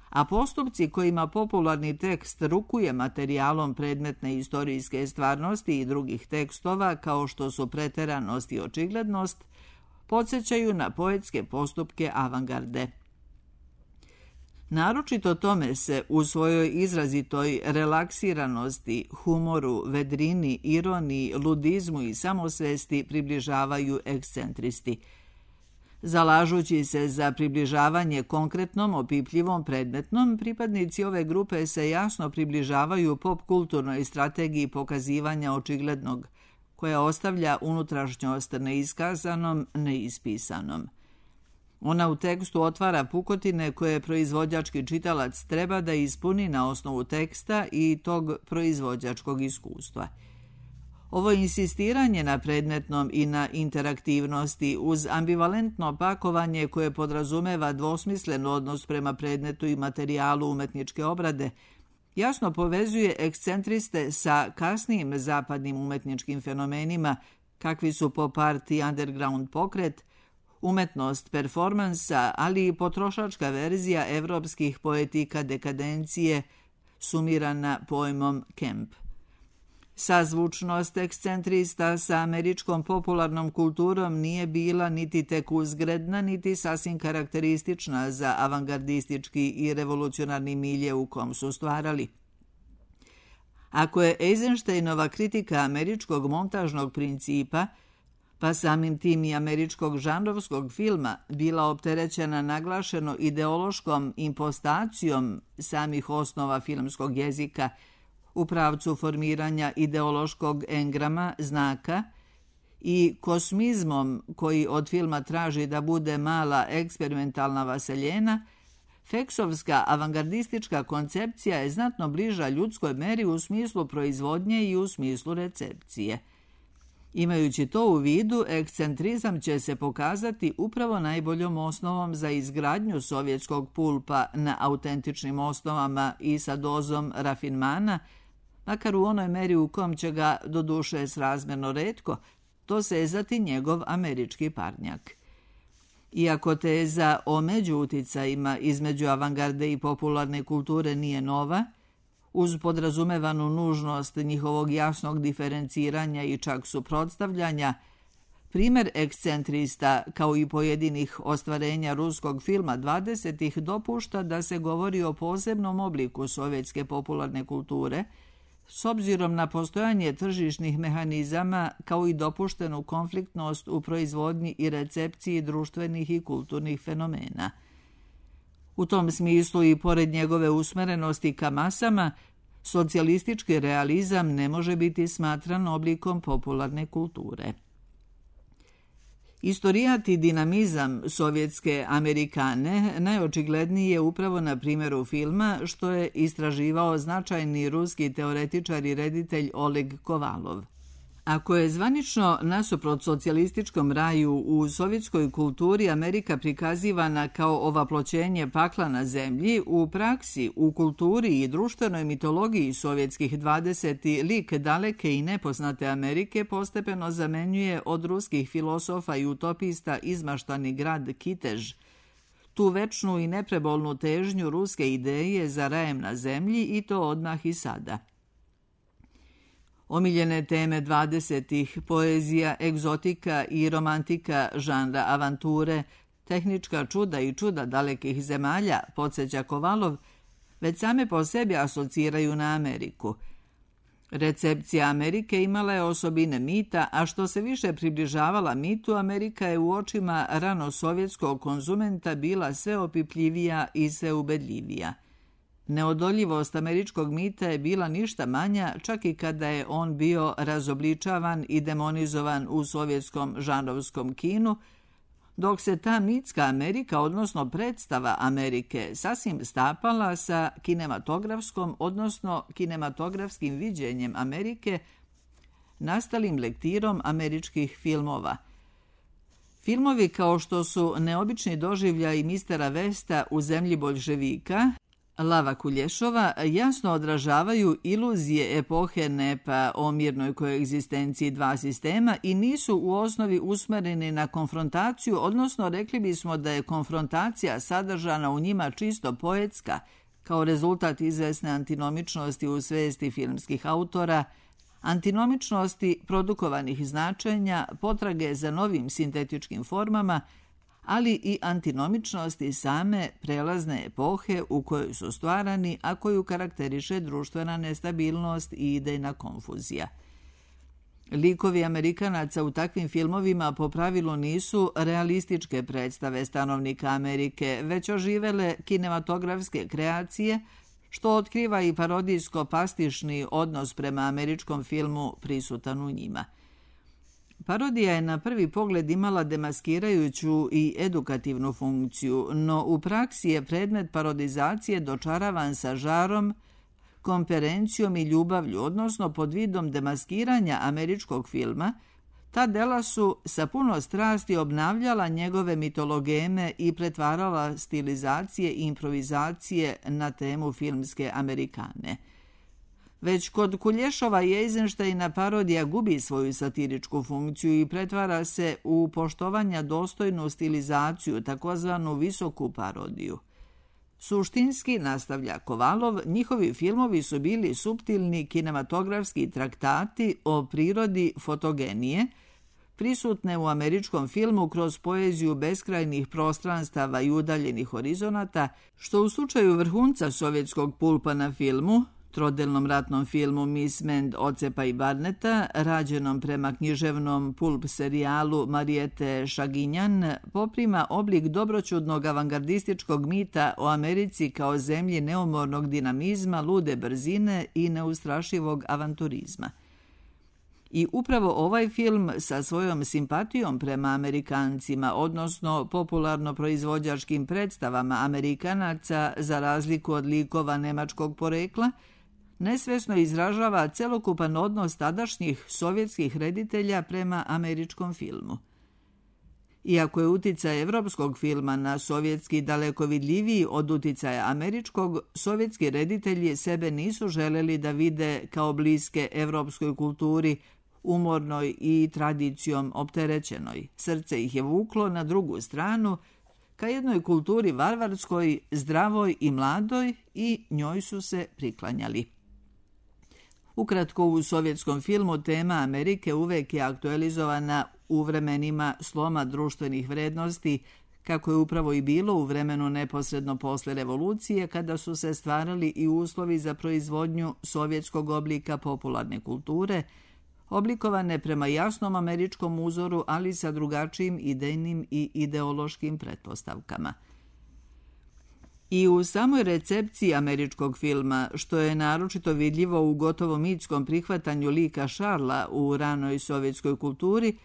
[SPEAKER 2] a postupci kojima popularni tekst rukuje materijalom predmetne istorijske stvarnosti i drugih tekstova, kao što su preteranost i očiglednost, podsjećaju na poetske postupke avangarde. Naročito tome se u svojoj izrazitoj relaksiranosti, humoru, vedrini, ironiji, ludizmu i samosvesti približavaju ekscentristi. Zalažući se za približavanje konkretnom, opipljivom, predmetnom, pripadnici ove grupe se jasno približavaju pop-kulturnoj strategiji pokazivanja očiglednog, koja ostavlja unutrašnjost neiskazanom, neispisanom. Ona u tekstu otvara pukotine koje proizvođački čitalac treba da ispuni na osnovu teksta i tog proizvođačkog iskustva. Ovo insistiranje na predmetnom i na interaktivnosti uz ambivalentno pakovanje koje podrazumeva dvosmislen odnos prema predmetu i materijalu umetničke obrade, jasno povezuje ekscentriste sa kasnijim zapadnim umetničkim fenomenima, kakvi su pop art i underground pokret, umetnost performansa, ali i potrošačka verzija evropskih poetika dekadencije, sumirana pojmom camp. Sazvučnost ekscentrista sa američkom popularnom kulturom nije bila niti tek uzgredna, niti sasvim karakteristična za avangardistički i revolucionarni milje u kom su stvarali. Ako je Eisensteinova kritika američkog montažnog principa, pa samim tim i američkog žanrovskog filma, bila opterećena naglašeno ideološkom impostacijom samih osnova filmskog jezika u pravcu formiranja ideološkog engrama, znaka, i kosmizmom koji od filma traži da bude mala eksperimentalna vaseljena, Feksovska avangardistička koncepcija je znatno bliža ljudskoj meri u smislu proizvodnje i u smislu recepcije. Imajući to u vidu, ekscentrizam će se pokazati upravo najboljom osnovom za izgradnju sovjetskog pulpa na autentičnim osnovama i sa dozom rafinmana, makar u onoj meri u kom će ga, doduše srazmerno retko, dosezati njegov američki parnjak. Iako teza o međuuticajima između avangarde i popularne kulture nije nova, uz podrazumevanu nužnost njihovog jasnog diferenciranja i čak suprotstavljanja, primer ekscentrista, kao i pojedinih ostvarenja ruskog filma dvadesetih, dopušta da se govori o posebnom obliku sovjetske popularne kulture, s obzirom na postojanje tržišnih mehanizama kao i dopuštenu konfliktnost u proizvodnji i recepciji društvenih i kulturnih fenomena. U tom smislu i pored njegove usmerenosti ka masama, socijalistički realizam ne može biti smatran oblikom popularne kulture. Istorijat i dinamizam sovjetske Amerikane najočigledniji je upravo na primjeru filma, što je istraživao značajni ruski teoretičar i reditelj Oleg Kovalov. Ako je zvanično nasuprot socijalističkom raju u sovjetskoj kulturi Amerika prikazivana kao ovaploćenje pakla na zemlji, u praksi, u kulturi i društvenoj mitologiji sovjetskih dvadeseti lik daleke i nepoznate Amerike postepeno zamenjuje od ruskih filosofa i utopista izmaštani grad Kitež, tu večnu i neprebolnu težnju ruske ideje za rajem na zemlji, i to odmah i sada. Omiljene teme dvadesetih, poezija, egzotika i romantika žanra avanture, tehnička čuda i čuda dalekih zemalja, podsjeća Kovalov, već same po sebi asociraju na Ameriku. Recepcija Amerike imala je osobine mita, a što se više približavala mitu, Amerika je u očima rano sovjetskog konzumenta bila sve opipljivija i sve ubedljivija. Neodoljivost američkog mita je bila ništa manja, čak i kada je on bio razobličavan i demonizovan u sovjetskom žanrovskom kinu, dok se ta mitska Amerika, odnosno predstava Amerike, sasvim stapala sa kinematografskom, odnosno kinematografskim viđenjem Amerike, nastalim lektirom američkih filmova. Filmovi kao što su Neobični doživljaj mistera Vesta u zemlji boljševika Lava Kulješova jasno odražavaju iluzije epohe NEPA o mirnoj koegzistenciji dva sistema i nisu u osnovi usmereni na konfrontaciju, odnosno rekli bismo da je konfrontacija sadržana u njima čisto poetska, kao rezultat izvesne antinomičnosti u svesti filmskih autora, antinomičnosti produkovanih značenja, potrage za novim sintetičkim formama, ali i antinomičnosti same prelazne epohe u kojoj su stvarani, a koju karakteriše društvena nestabilnost i idejna konfuzija. Likovi Amerikanaca u takvim filmovima po pravilu nisu realističke predstave stanovnika Amerike, već oživele kinematografske kreacije, što otkriva i parodijsko-pastišni odnos prema američkom filmu prisutan u njima. Parodija je na prvi pogled imala demaskirajuću i edukativnu funkciju, no u praksi je predmet parodizacije dočaravan sa žarom, komperencijom i ljubavlju, odnosno pod vidom demaskiranja američkog filma. Ta dela su sa puno strasti obnavljala njegove mitologeme i pretvarala stilizacije i improvizacije na temu filmske Amerikane. Već kod Kulješova i Eisensteina parodija gubi svoju satiričku funkciju i pretvara se u poštovanja dostojnu stilizaciju, takozvanu visoku parodiju. Suštinski, nastavlja Kovalov, njihovi filmovi su bili suptilni kinematografski traktati o prirodi fotogenije, prisutne u američkom filmu kroz poeziju beskrajnih prostranstava i udaljenih horizonata, što u slučaju vrhunca sovjetskog pulpa na filmu, trodelnom ratnom filmu Miss Mend, Ocepa i Barneta, rađenom prema književnom pulp serijalu Marijete Šaginjan, poprima oblik dobroćudnog avangardističkog mita o Americi kao zemlji neumornog dinamizma, lude brzine i neustrašivog avanturizma. I upravo ovaj film sa svojom simpatijom prema Amerikancima, odnosno popularno proizvođačkim predstavama Amerikanaca za razliku od likova nemačkog porekla, nesvesno izražava celokupan odnos tadašnjih sovjetskih reditelja prema američkom filmu. Iako je uticaj evropskog filma na sovjetski daleko vidljiviji od uticaja američkog, sovjetski reditelji sebe nisu želeli da vide kao bliske evropskoj kulturi, umornoj i tradicijom opterećenoj. Srce ih je vuklo na drugu stranu, ka jednoj kulturi varvarskoj, zdravoj i mladoj, i njoj su se priklanjali. Ukratko, u sovjetskom filmu tema Amerike uvek je aktualizovana u vremenima sloma društvenih vrednosti, kako je upravo i bilo u vremenu neposredno posle revolucije, kada su se stvarali i uslovi za proizvodnju sovjetskog oblika popularne kulture, oblikovane prema jasnom američkom uzoru, ali sa drugačijim idejnim i ideološkim pretpostavkama. I u samoj recepciji američkog filma, što je naročito vidljivo u gotovo mitskom prihvatanju lika Šarla u ranoj sovjetskoj kulturi,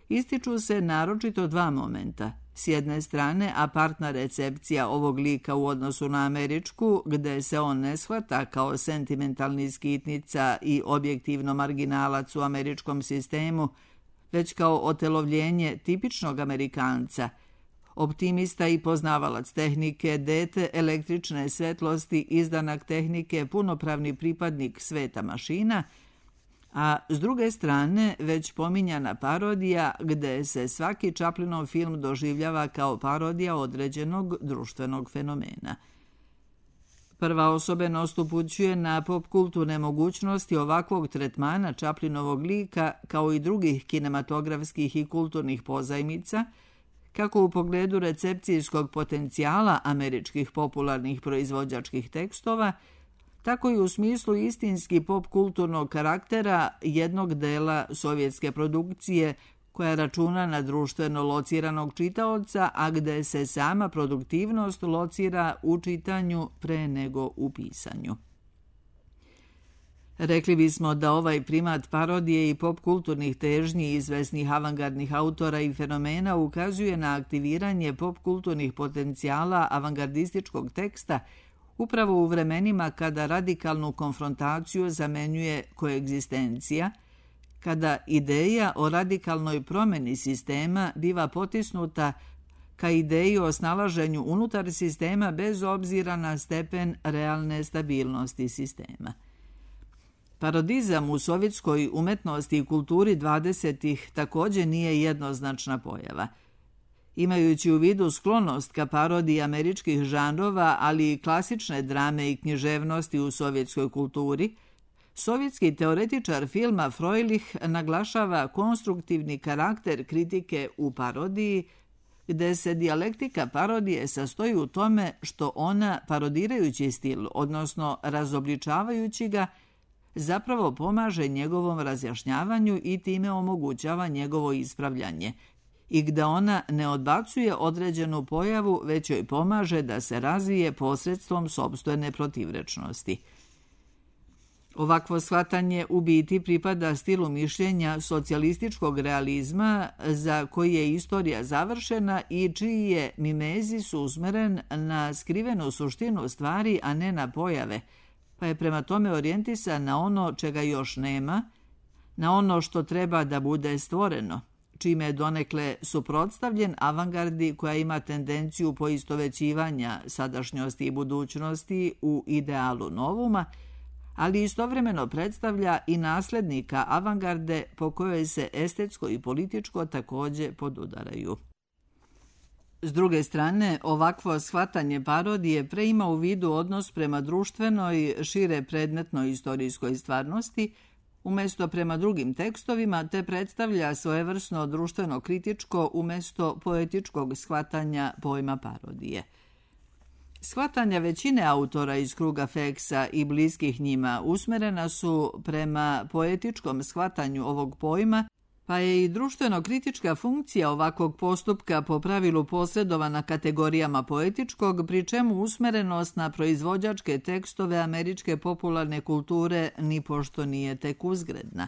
[SPEAKER 2] ističu se naročito dva momenta. S jedne strane, apartna recepcija ovog lika u odnosu na američku, gde se on ne shvata kao sentimentalni skitnica i objektivno marginalac u američkom sistemu, već kao otelovljenje tipičnog Amerikanca, optimista i poznavalac tehnike, dete električne svetlosti, izdanak tehnike, punopravni pripadnik sveta mašina, a s druge strane već pominjana parodija, gde se svaki Chaplinov film doživljava kao parodija određenog društvenog fenomena. Prva osobenost upućuje na popkulturne mogućnosti ovakvog tretmana Chaplinovog lika, kao i drugih kinematografskih i kulturnih pozajmica, kako u pogledu recepcijskog potencijala američkih popularnih proizvođačkih tekstova, tako i u smislu istinski popkulturnog karaktera jednog dela sovjetske produkcije koja računa na društveno lociranog čitaoca, a gde se sama produktivnost locira u čitanju pre nego u pisanju. Rekli bismo da ovaj primat parodije i popkulturnih težnji izvesnih avangardnih autora i fenomena ukazuje na aktiviranje popkulturnih potencijala avangardističkog teksta upravo u vremenima kada radikalnu konfrontaciju zamenjuje koegzistencija, kada ideja o radikalnoj promeni sistema biva potisnuta ka ideji o snalaženju unutar sistema bez obzira na stepen realne stabilnosti sistema. Parodizam u sovjetskoj umetnosti i kulturi dvadesetih također nije jednoznačna pojava. Imajući u vidu sklonost ka parodiji američkih žanrova, ali i klasične drame i književnosti u sovjetskoj kulturi, sovjetski teoretičar filma Froilich naglašava konstruktivni karakter kritike u parodiji, gde se dijalektika parodije sastoji u tome što ona, parodirajući stil, odnosno razobličavajući ga, zapravo pomaže njegovom razjašnjavanju i time omogućava njegovo ispravljanje, i gde ona ne odbacuje određenu pojavu, već joj pomaže da se razvije posredstvom sopstvene protivrečnosti. Ovakvo shvatanje u biti pripada stilu mišljenja socijalističkog realizma, za koji je istorija završena i čiji je mimezis usmeren na skrivenu suštinu stvari, a ne na pojave, pa je prema tome orijentisan na ono čega još nema, na ono što treba da bude stvoreno, čime je donekle suprotstavljen avangardi koja ima tendenciju poistovećivanja sadašnjosti i budućnosti u idealu novuma, ali istovremeno predstavlja i naslednika avangarde po kojoj se estetsko i političko također podudaraju. S druge strane, ovakvo shvatanje parodije preima u vidu odnos prema društvenoj, šire predmetnoj istorijskoj stvarnosti, umjesto prema drugim tekstovima, te predstavlja svojevrsno društveno-kritičko umjesto poetičkog shvatanja pojma parodije. Shvatanja većine autora iz kruga Feksa i bliskih njima usmerena su prema poetičkom shvatanju ovog pojma, pa je i društveno-kritička funkcija ovakvog postupka po pravilu posredovana kategorijama poetičkog, pri čemu usmerenost na proizvođačke tekstove američke popularne kulture nipošto nije tek uzgredna.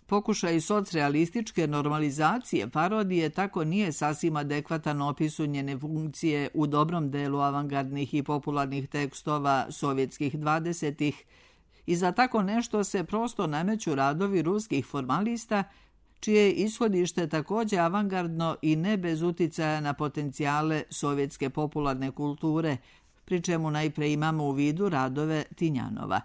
[SPEAKER 2] Pokušaj socrealističke normalizacije parodije tako nije sasvim adekvatan opisu njene funkcije u dobrom delu avangardnih i popularnih tekstova sovjetskih dvadesetih i za tako nešto se prosto nameću radovi ruskih formalista, čije je ishodište također avangardno i ne bez uticaja na potencijale sovjetske popularne kulture, pri čemu najpre imamo u vidu radove Tinjanova.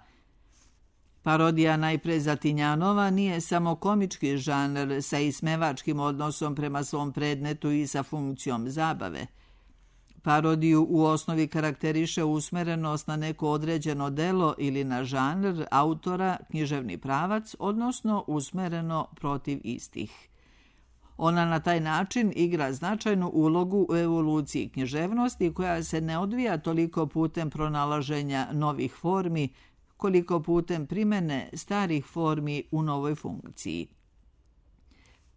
[SPEAKER 2] Parodija najpre za Tinjanova nije samo komički žanr sa ismevačkim odnosom prema svom predmetu i sa funkcijom zabave. Parodiju u osnovi karakteriše usmerenost na neko određeno delo ili na žanr, autora, književni pravac, odnosno usmereno protiv istih. Ona na taj način igra značajnu ulogu u evoluciji književnosti koja se ne odvija toliko putem pronalaženja novih formi, koliko putem primene starih formi u novoj funkciji.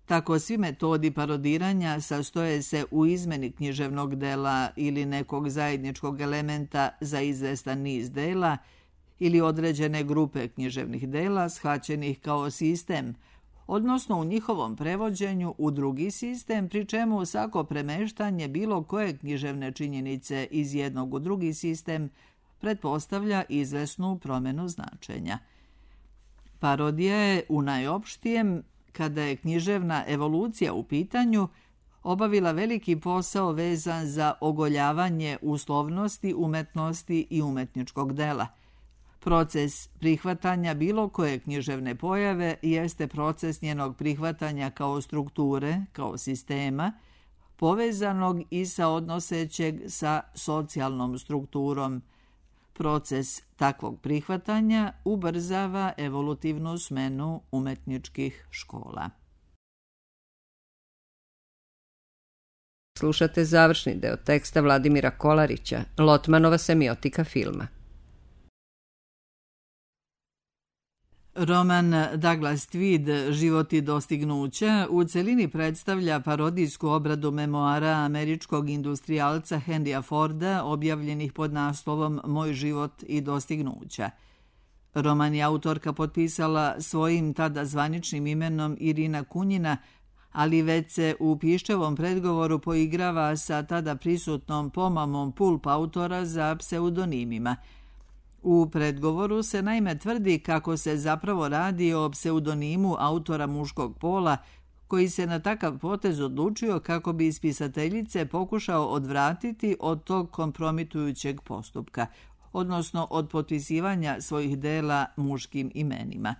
[SPEAKER 2] Tako svi metodi parodiranja sastoje se u izmeni književnog dela ili nekog zajedničkog elementa za izvestan niz dela ili određene grupe književnih dela shvaćenih kao sistem, odnosno u njihovom prevođenju u drugi sistem, pri čemu svako premeštanje bilo koje književne činjenice iz jednog u drugi sistem pretpostavlja izvesnu promjenu značenja. Parodija je u najopštijem, kada je književna evolucija u pitanju, obavila veliki posao vezan za ogoljavanje uslovnosti, umetnosti i umetničkog dela. Proces prihvatanja bilo koje književne pojave jeste proces njenog prihvatanja kao strukture, kao sistema, povezanog i sa odnosećeg sa socijalnom strukturom. Proces takvog prihvatanja ubrzava evolutivnu smenu umetničkih škola.
[SPEAKER 1] Slušate završni deo teksta Vladimira Kolarića, Lotmanova semiotika filma.
[SPEAKER 2] Roman Douglas Tweed, Život i dostignuća, u celini predstavlja parodijsku obradu memoara američkog industrijalca Henrya Forda, objavljenih pod naslovom Moj život i dostignuća. Roman je autorka potpisala svojim tada zvaničnim imenom Irina Kunjina, ali već se u piščevom predgovoru poigrava sa tada prisutnom pomamom pulp autora za pseudonimima. U predgovoru se naime tvrdi kako se zapravo radi o pseudonimu autora muškog pola koji se na takav potez odlučio kako bi ispisateljice pokušao odvratiti od tog kompromitujućeg postupka, odnosno od potpisivanja svojih dela muškim imenima.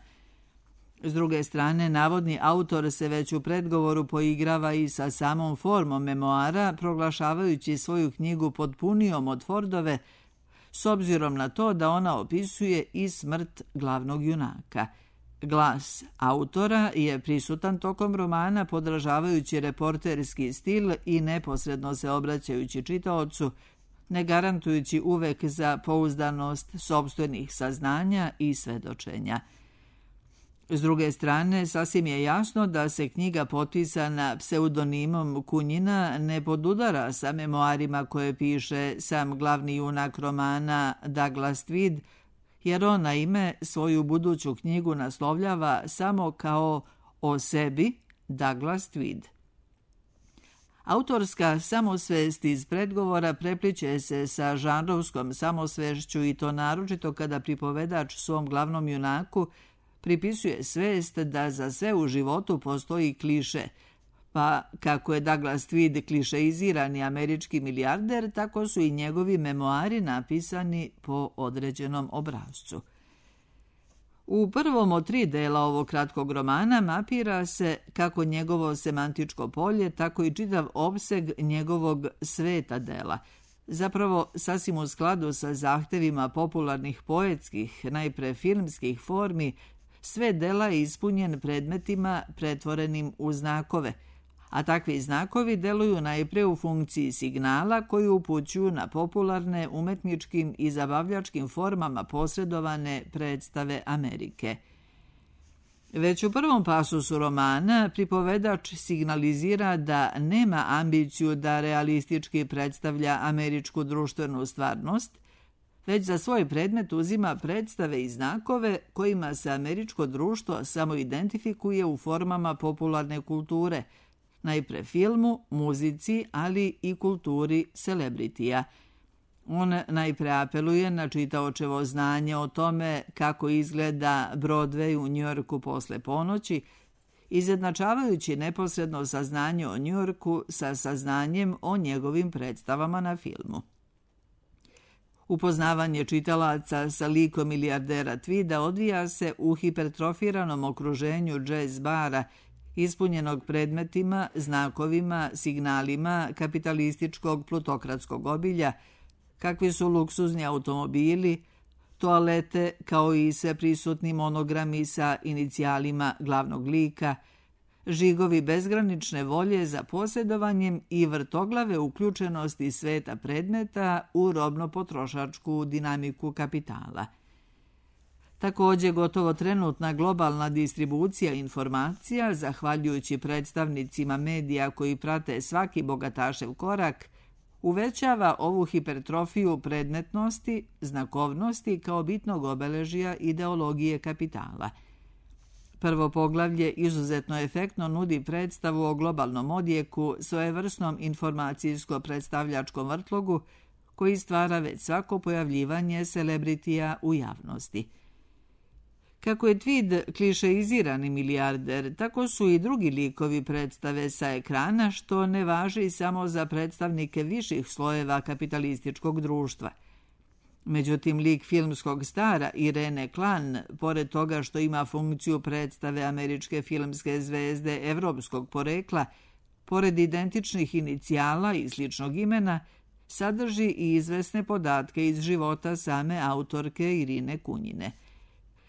[SPEAKER 2] S druge strane, navodni autor se već u predgovoru poigrava i sa samom formom memoara, proglašavajući svoju knjigu potpunijom od Fordove, s obzirom na to da ona opisuje i smrt glavnog junaka. Glas autora je prisutan tokom romana, podražavajući reporterski stil i neposredno se obraćajući čitaocu, ne garantujući uvek za pouzdanost sopstvenih saznanja i svedočenja. S druge strane, sasvim je jasno da se knjiga potpisana pseudonimom Kunjina ne podudara sa memoarima koje piše sam glavni junak romana Douglas Tweed, jer on na ime svoju buduću knjigu naslovljava samo kao o sebi Douglas Tweed. Autorska samosvest iz predgovora prepliče se sa žanrovskom samosvešću i to naročito kada pripovedač svom glavnom junaku pripisuje svest da za sve u životu postoji kliše, pa kako je Douglas Tweed klišeizirani američki milijarder, tako su i njegovi memoari napisani po određenom obrascu. U prvom od tri dela ovog kratkog romana mapira se kako njegovo semantičko polje, tako i čitav opseg njegovog sveta dela, zapravo sasvim u skladu sa zahtevima popularnih poetskih, najpre filmskih formi, sve dela je ispunjen predmetima pretvorenim u znakove, a takvi znakovi deluju najpre u funkciji signala koji upućuju na popularne umetničkim i zabavljačkim formama posredovane predstave Amerike. Već u prvom pasusu romana pripovedač signalizira da nema ambiciju da realistički predstavlja američku društvenu stvarnost, već za svoj predmet uzima predstave i znakove kojima se američko društvo samo identifikuje u formama popularne kulture, najpre filmu, muzici, ali i kulturi celebritija. On najpre apeluje na čitaočevo znanje o tome kako izgleda Broadway u Njujorku posle ponoći, izjednačavajući neposredno saznanje o Njujorku sa saznanjem o njegovim predstavama na filmu. Upoznavanje čitalaca sa likom milijardera Tweeda odvija se u hipertrofiranom okruženju jazz bara, ispunjenog predmetima, znakovima, signalima kapitalističkog plutokratskog obilja, kakvi su luksuzni automobili, toalete kao i sve prisutni monogrami sa inicijalima glavnog lika, žigovi bezgranične volje za posjedovanjem i vrtoglave uključenosti sveta predmeta u robno-potrošačku dinamiku kapitala. Također, gotovo trenutna globalna distribucija informacija, zahvaljujući predstavnicima medija koji prate svaki bogatašev korak, uvećava ovu hipertrofiju predmetnosti, znakovnosti kao bitnog obeležja ideologije kapitala. Prvo poglavlje izuzetno efektno nudi predstavu o globalnom odjeku, svojevrsnom informacijsko-predstavljačkom vrtlogu koji stvara već svako pojavljivanje celebritija u javnosti. Kako je Tweed klišeizirani milijarder, tako su i drugi likovi predstave sa ekrana, što ne važi samo za predstavnike viših slojeva kapitalističkog društva. Međutim, lik filmskog stara Irene Klan, pored toga što ima funkciju predstave američke filmske zvezde evropskog porekla, pored identičnih inicijala i sličnog imena, sadrži i izvesne podatke iz života same autorke Irine Kunjine.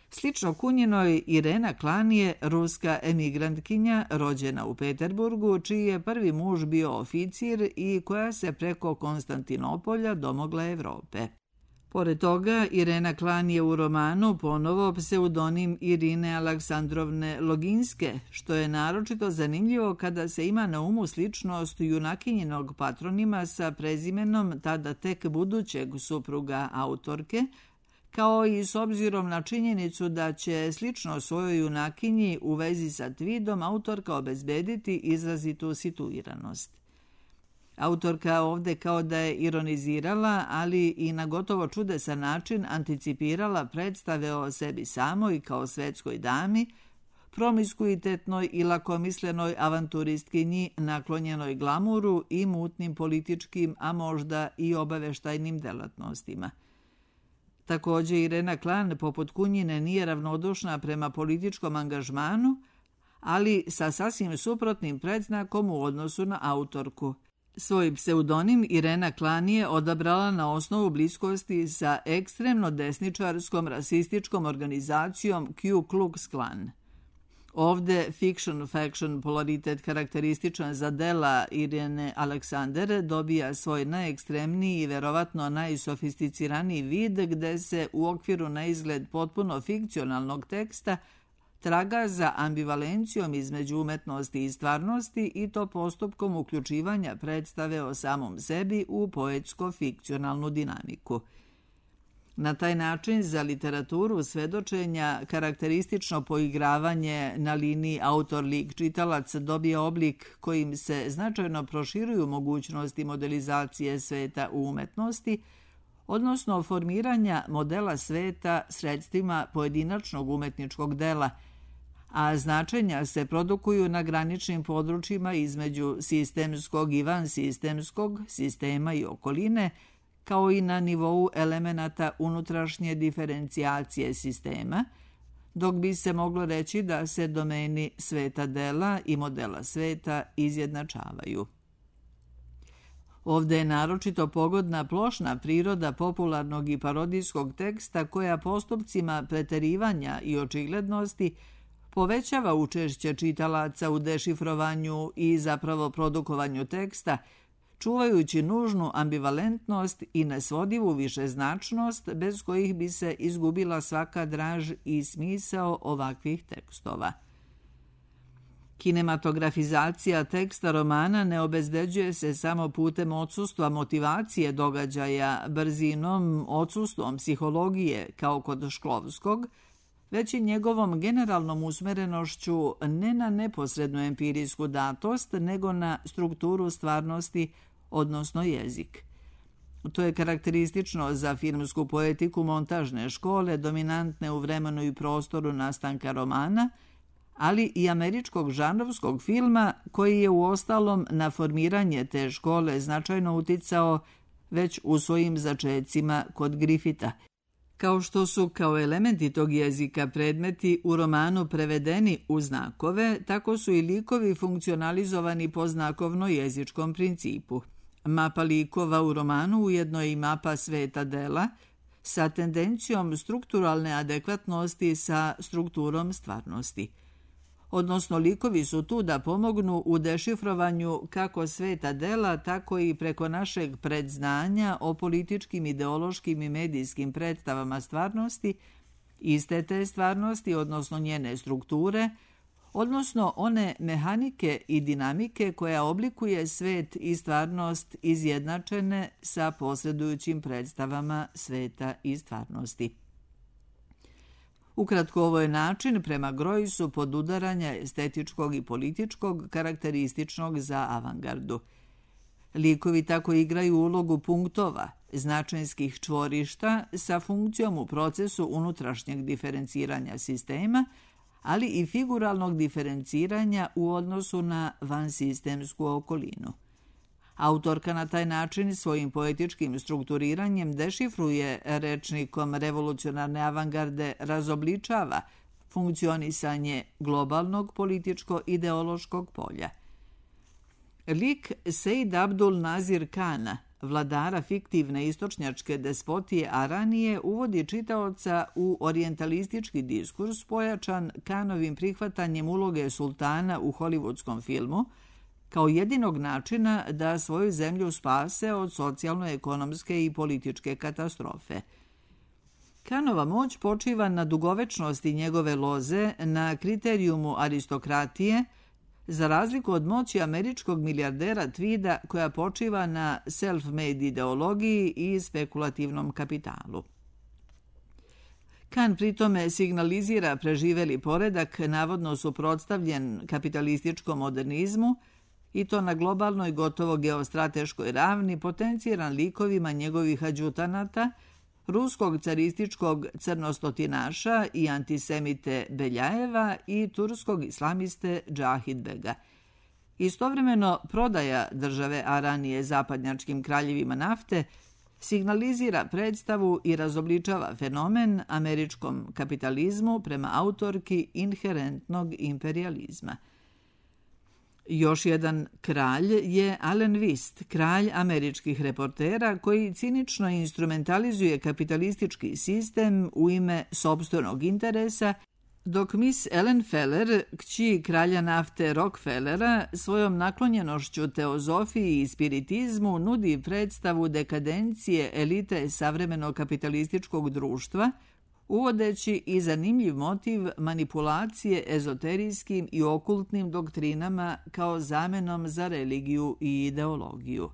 [SPEAKER 2] Slično Kunjinoj, Irena Klan je ruska emigrantkinja rođena u Peterburgu, čiji je prvi muž bio oficir i koja se preko Konstantinopolja domogla Evrope. Pored toga, Irena Klan je u romanu ponovo pseudonim Irine Aleksandrovne Loginske, što je naročito zanimljivo kada se ima na umu sličnost junakinjinog patronima sa prezimenom tada tek budućeg supruga autorke, kao i s obzirom na činjenicu da će slično svojoj junakinji u vezi sa Tweedom autorka obezbediti izrazitu situiranost. Autorka ovde kao da je ironizirala, ali i na gotovo čudesan način anticipirala predstave o sebi samoj kao svetskoj dami, promiskuitetnoj i lakomislenoj avanturistkinji naklonjenoj glamuru i mutnim političkim, a možda i obaveštajnim delatnostima. Također Irena Klan poput Kunjine nije ravnodušna prema političkom angažmanu, ali sa sasvim suprotnim predznakom u odnosu na autorku. Svoj pseudonim Irena Klan je odabrala na osnovu bliskosti sa ekstremno desničarskom rasističkom organizacijom Ku Klux Klan. Ovde fiction-faction polaritet karakterističan za dela Irene Alexander dobija svoj najekstremniji i verovatno najsofisticiraniji vid gde se u okviru na izgled potpuno fikcionalnog teksta traga za ambivalencijom između umetnosti i stvarnosti i to postupkom uključivanja predstave o samom sebi u poetsko-fikcionalnu dinamiku. Na taj način za literaturu svedočenja karakteristično poigravanje na liniji autor-lik-čitalac dobije oblik kojim se značajno proširuju mogućnosti modelizacije sveta u umetnosti, odnosno formiranja modela sveta sredstvima pojedinačnog umetničkog dela, a značenja se produkuju na graničnim područjima između sistemskog i vansistemskog, sistema i okoline, kao i na nivou elemenata unutrašnje diferencijacije sistema, dok bi se moglo reći da se domeni sveta dela i modela sveta izjednačavaju. Ovde je naročito pogodna plošna priroda popularnog i parodijskog teksta koja postupcima preterivanja i očiglednosti povećava učešće čitalaca u dešifrovanju i zapravo produkovanju teksta, čuvajući nužnu ambivalentnost i nesvodivu višeznačnost bez kojih bi se izgubila svaka draž i smisao ovakvih tekstova. Kinematografizacija teksta romana ne obezbeđuje se samo putem odsustva motivacije događaja, brzinom, odsustvom psihologije kao kod Šklovskog, već i njegovom generalnom usmerenošću ne na neposrednu empirijsku datost, nego na strukturu stvarnosti, odnosno jezik. To je karakteristično za filmsku poetiku montažne škole, dominantne u vremenu i prostoru nastanka romana, ali i američkog žanrovskog filma koji je uostalom na formiranje te škole značajno uticao već u svojim začecima kod Griffitha. Kao što su kao elementi tog jezika predmeti u romanu prevedeni u znakove, tako su i likovi funkcionalizovani po znakovno-jezičkom principu. Mapa likova u romanu ujedno je i mapa sveta dela sa tendencijom strukturalne adekvatnosti sa strukturom stvarnosti. Odnosno, likovi su tu da pomognu u dešifrovanju kako sveta dela, tako i preko našeg predznanja o političkim, ideološkim i medijskim predstavama stvarnosti, iste te stvarnosti, odnosno njene strukture, odnosno one mehanike i dinamike koja oblikuje svet i stvarnost izjednačene sa posredujućim predstavama sveta i stvarnosti. Ukratko, ovo je način prema Groysu podudaranja estetičkog i političkog karakterističnog za avangardu. Likovi tako igraju ulogu punktova, značajskih čvorišta sa funkcijom u procesu unutrašnjeg diferenciranja sistema, ali i figuralnog diferenciranja u odnosu na vansistemsku okolinu. Autorka na taj način svojim poetičkim strukturiranjem dešifruje rečnikom revolucionarne avangarde, razobličava funkcionisanje globalnog političko-ideološkog polja. Lik Sejd Abdul Nazir Kana, vladara fiktivne istočnjačke despotije Aranije, uvodi čitaoca u orijentalistički diskurs pojačan Kanovim prihvatanjem uloge sultana u hollywoodskom filmu, kao jedinog načina da svoju zemlju spase od socijalno-ekonomske i političke katastrofe. Kanova moć počiva na dugovečnosti njegove loze, na kriterijumu aristokratije, za razliku od moći američkog milijardera Tweeda koja počiva na self-made ideologiji i spekulativnom kapitalu. Kan pritome signalizira preživeli poredak, navodno suprotstavljen kapitalističkom modernizmu, i to na globalnoj gotovo geostrateškoj ravni, potenciran likovima njegovih adjutanata, ruskog carističkog crnostotinaša i antisemite Beljajeva i turskog islamiste Džahidbega. Istovremeno, prodaja države Aranije zapadnjačkim kraljevima nafte signalizira predstavu i razobličava fenomen američkom kapitalizmu prema autorki inherentnog imperijalizma. Još jedan kralj je Allen Wist, kralj američkih reportera koji cinično instrumentalizuje kapitalistički sistem u ime sopstvenog interesa, dok Miss Ellen Feller, kći kralja nafte Rockefellera, svojom naklonjenošću teozofiji i spiritizmu nudi predstavu dekadencije elite savremenog kapitalističkog društva, uvodeći i zanimljiv motiv manipulacije ezoterijskim i okultnim doktrinama kao zamenom za religiju i ideologiju.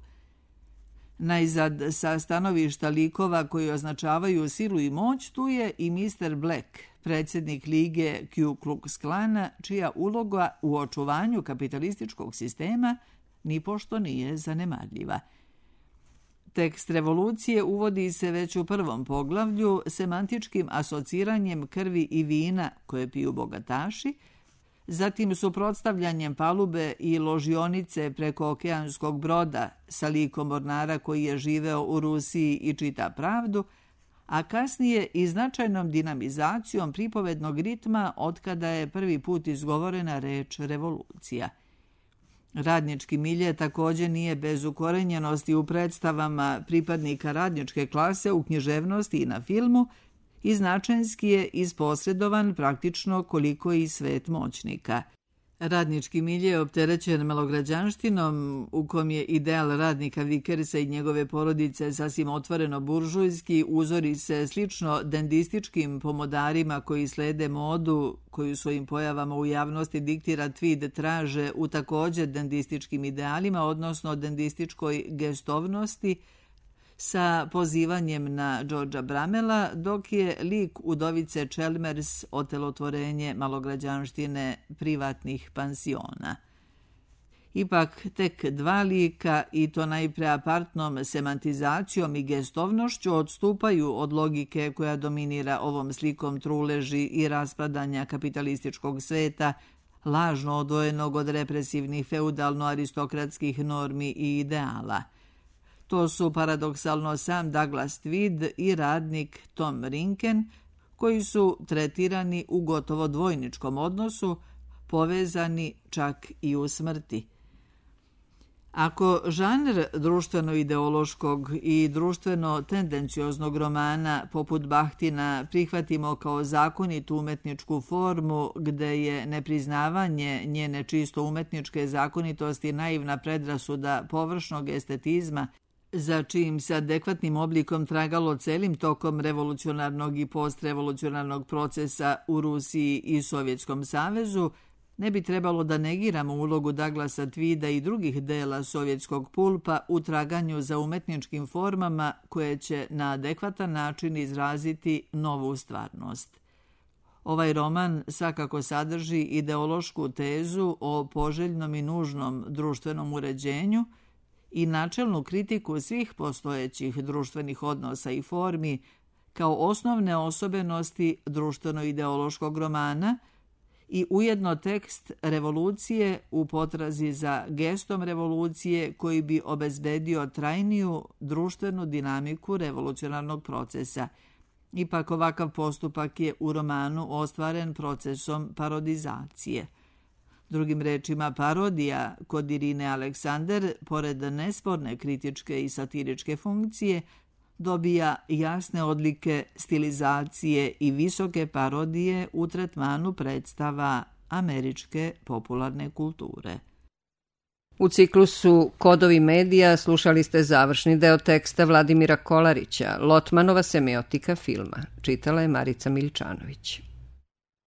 [SPEAKER 2] Najzad, sa stanovišta likova koji označavaju silu i moć, tu je i mister Black, predsjednik lige Ku Klux Klana, čija uloga u očuvanju kapitalističkog sistema nipošto nije zanemarljiva. Tekst revolucije uvodi se već u prvom poglavlju semantičkim asociranjem krvi i vina koje piju bogataši, zatim suprotstavljanjem palube i ložionice preko okeanskog broda sa likom mornara koji je živeo u Rusiji i čita pravdu, a kasnije i značajnom dinamizacijom pripovednog ritma otkada je prvi put izgovorena reč revolucija. Radnički milje također nije bez ukorenjenosti u predstavama pripadnika radničke klase u književnosti i na filmu i značajnski je isposredovan praktično koliko i svet moćnika. Radnički milje je opterećen malograđanštinom u kom je ideal radnika Vickersa i njegove porodice sasvim otvoreno buržujski, uzori se slično dendističkim pomodarima koji slede modu koju svojim pojavama u javnosti diktira Tweed traže u također dendističkim idealima, odnosno dendističkoj gestovnosti, sa pozivanjem na Georgea Bramela, dok je lik udovice Chalmers otelotvorenje malograđanštine privatnih pansiona. Ipak tek dva lika, i to najpre apartnom semantizacijom i gestovnošću, odstupaju od logike koja dominira ovom slikom truleži i raspadanja kapitalističkog sveta, lažno odvojenog od represivnih feudalno-aristokratskih normi i ideala. To su paradoksalno sam Douglas Tweed i radnik Tom Rinken, koji su tretirani u gotovo dvojničkom odnosu, povezani čak i u smrti. Ako žanr društveno-ideološkog i društveno-tendencioznog romana poput Bahtina prihvatimo kao zakonitu umetničku formu gde je nepriznavanje njene čisto umetničke zakonitosti naivna predrasuda površnog estetizma, za čijim se adekvatnim oblikom tragalo celim tokom revolucionarnog i postrevolucionarnog procesa u Rusiji i Sovjetskom savezu, ne bi trebalo da negiramo ulogu Douglasa Tweeda i drugih dela sovjetskog pulpa u traganju za umetničkim formama koje će na adekvatan način izraziti novu stvarnost. Ovaj roman svakako sadrži ideološku tezu o poželjnom i nužnom društvenom uređenju i načelnu kritiku svih postojećih društvenih odnosa i formi kao osnovne osobenosti društveno-ideološkog romana i ujedno tekst revolucije u potrazi za gestom revolucije koji bi obezbedio trajniju društvenu dinamiku revolucionarnog procesa. Ipak ovakav postupak je u romanu ostvaren procesom parodizacije. Drugim rečima, parodija kod Irine Aleksander, pored nesporne kritičke i satiričke funkcije, dobija jasne odlike stilizacije i visoke parodije u tretmanu predstava američke popularne kulture.
[SPEAKER 1] U ciklusu Kodovi medija slušali ste završni deo teksta Vladimira Kolarića, Lotmanova semiotika filma. Čitala je Marica Miličanović.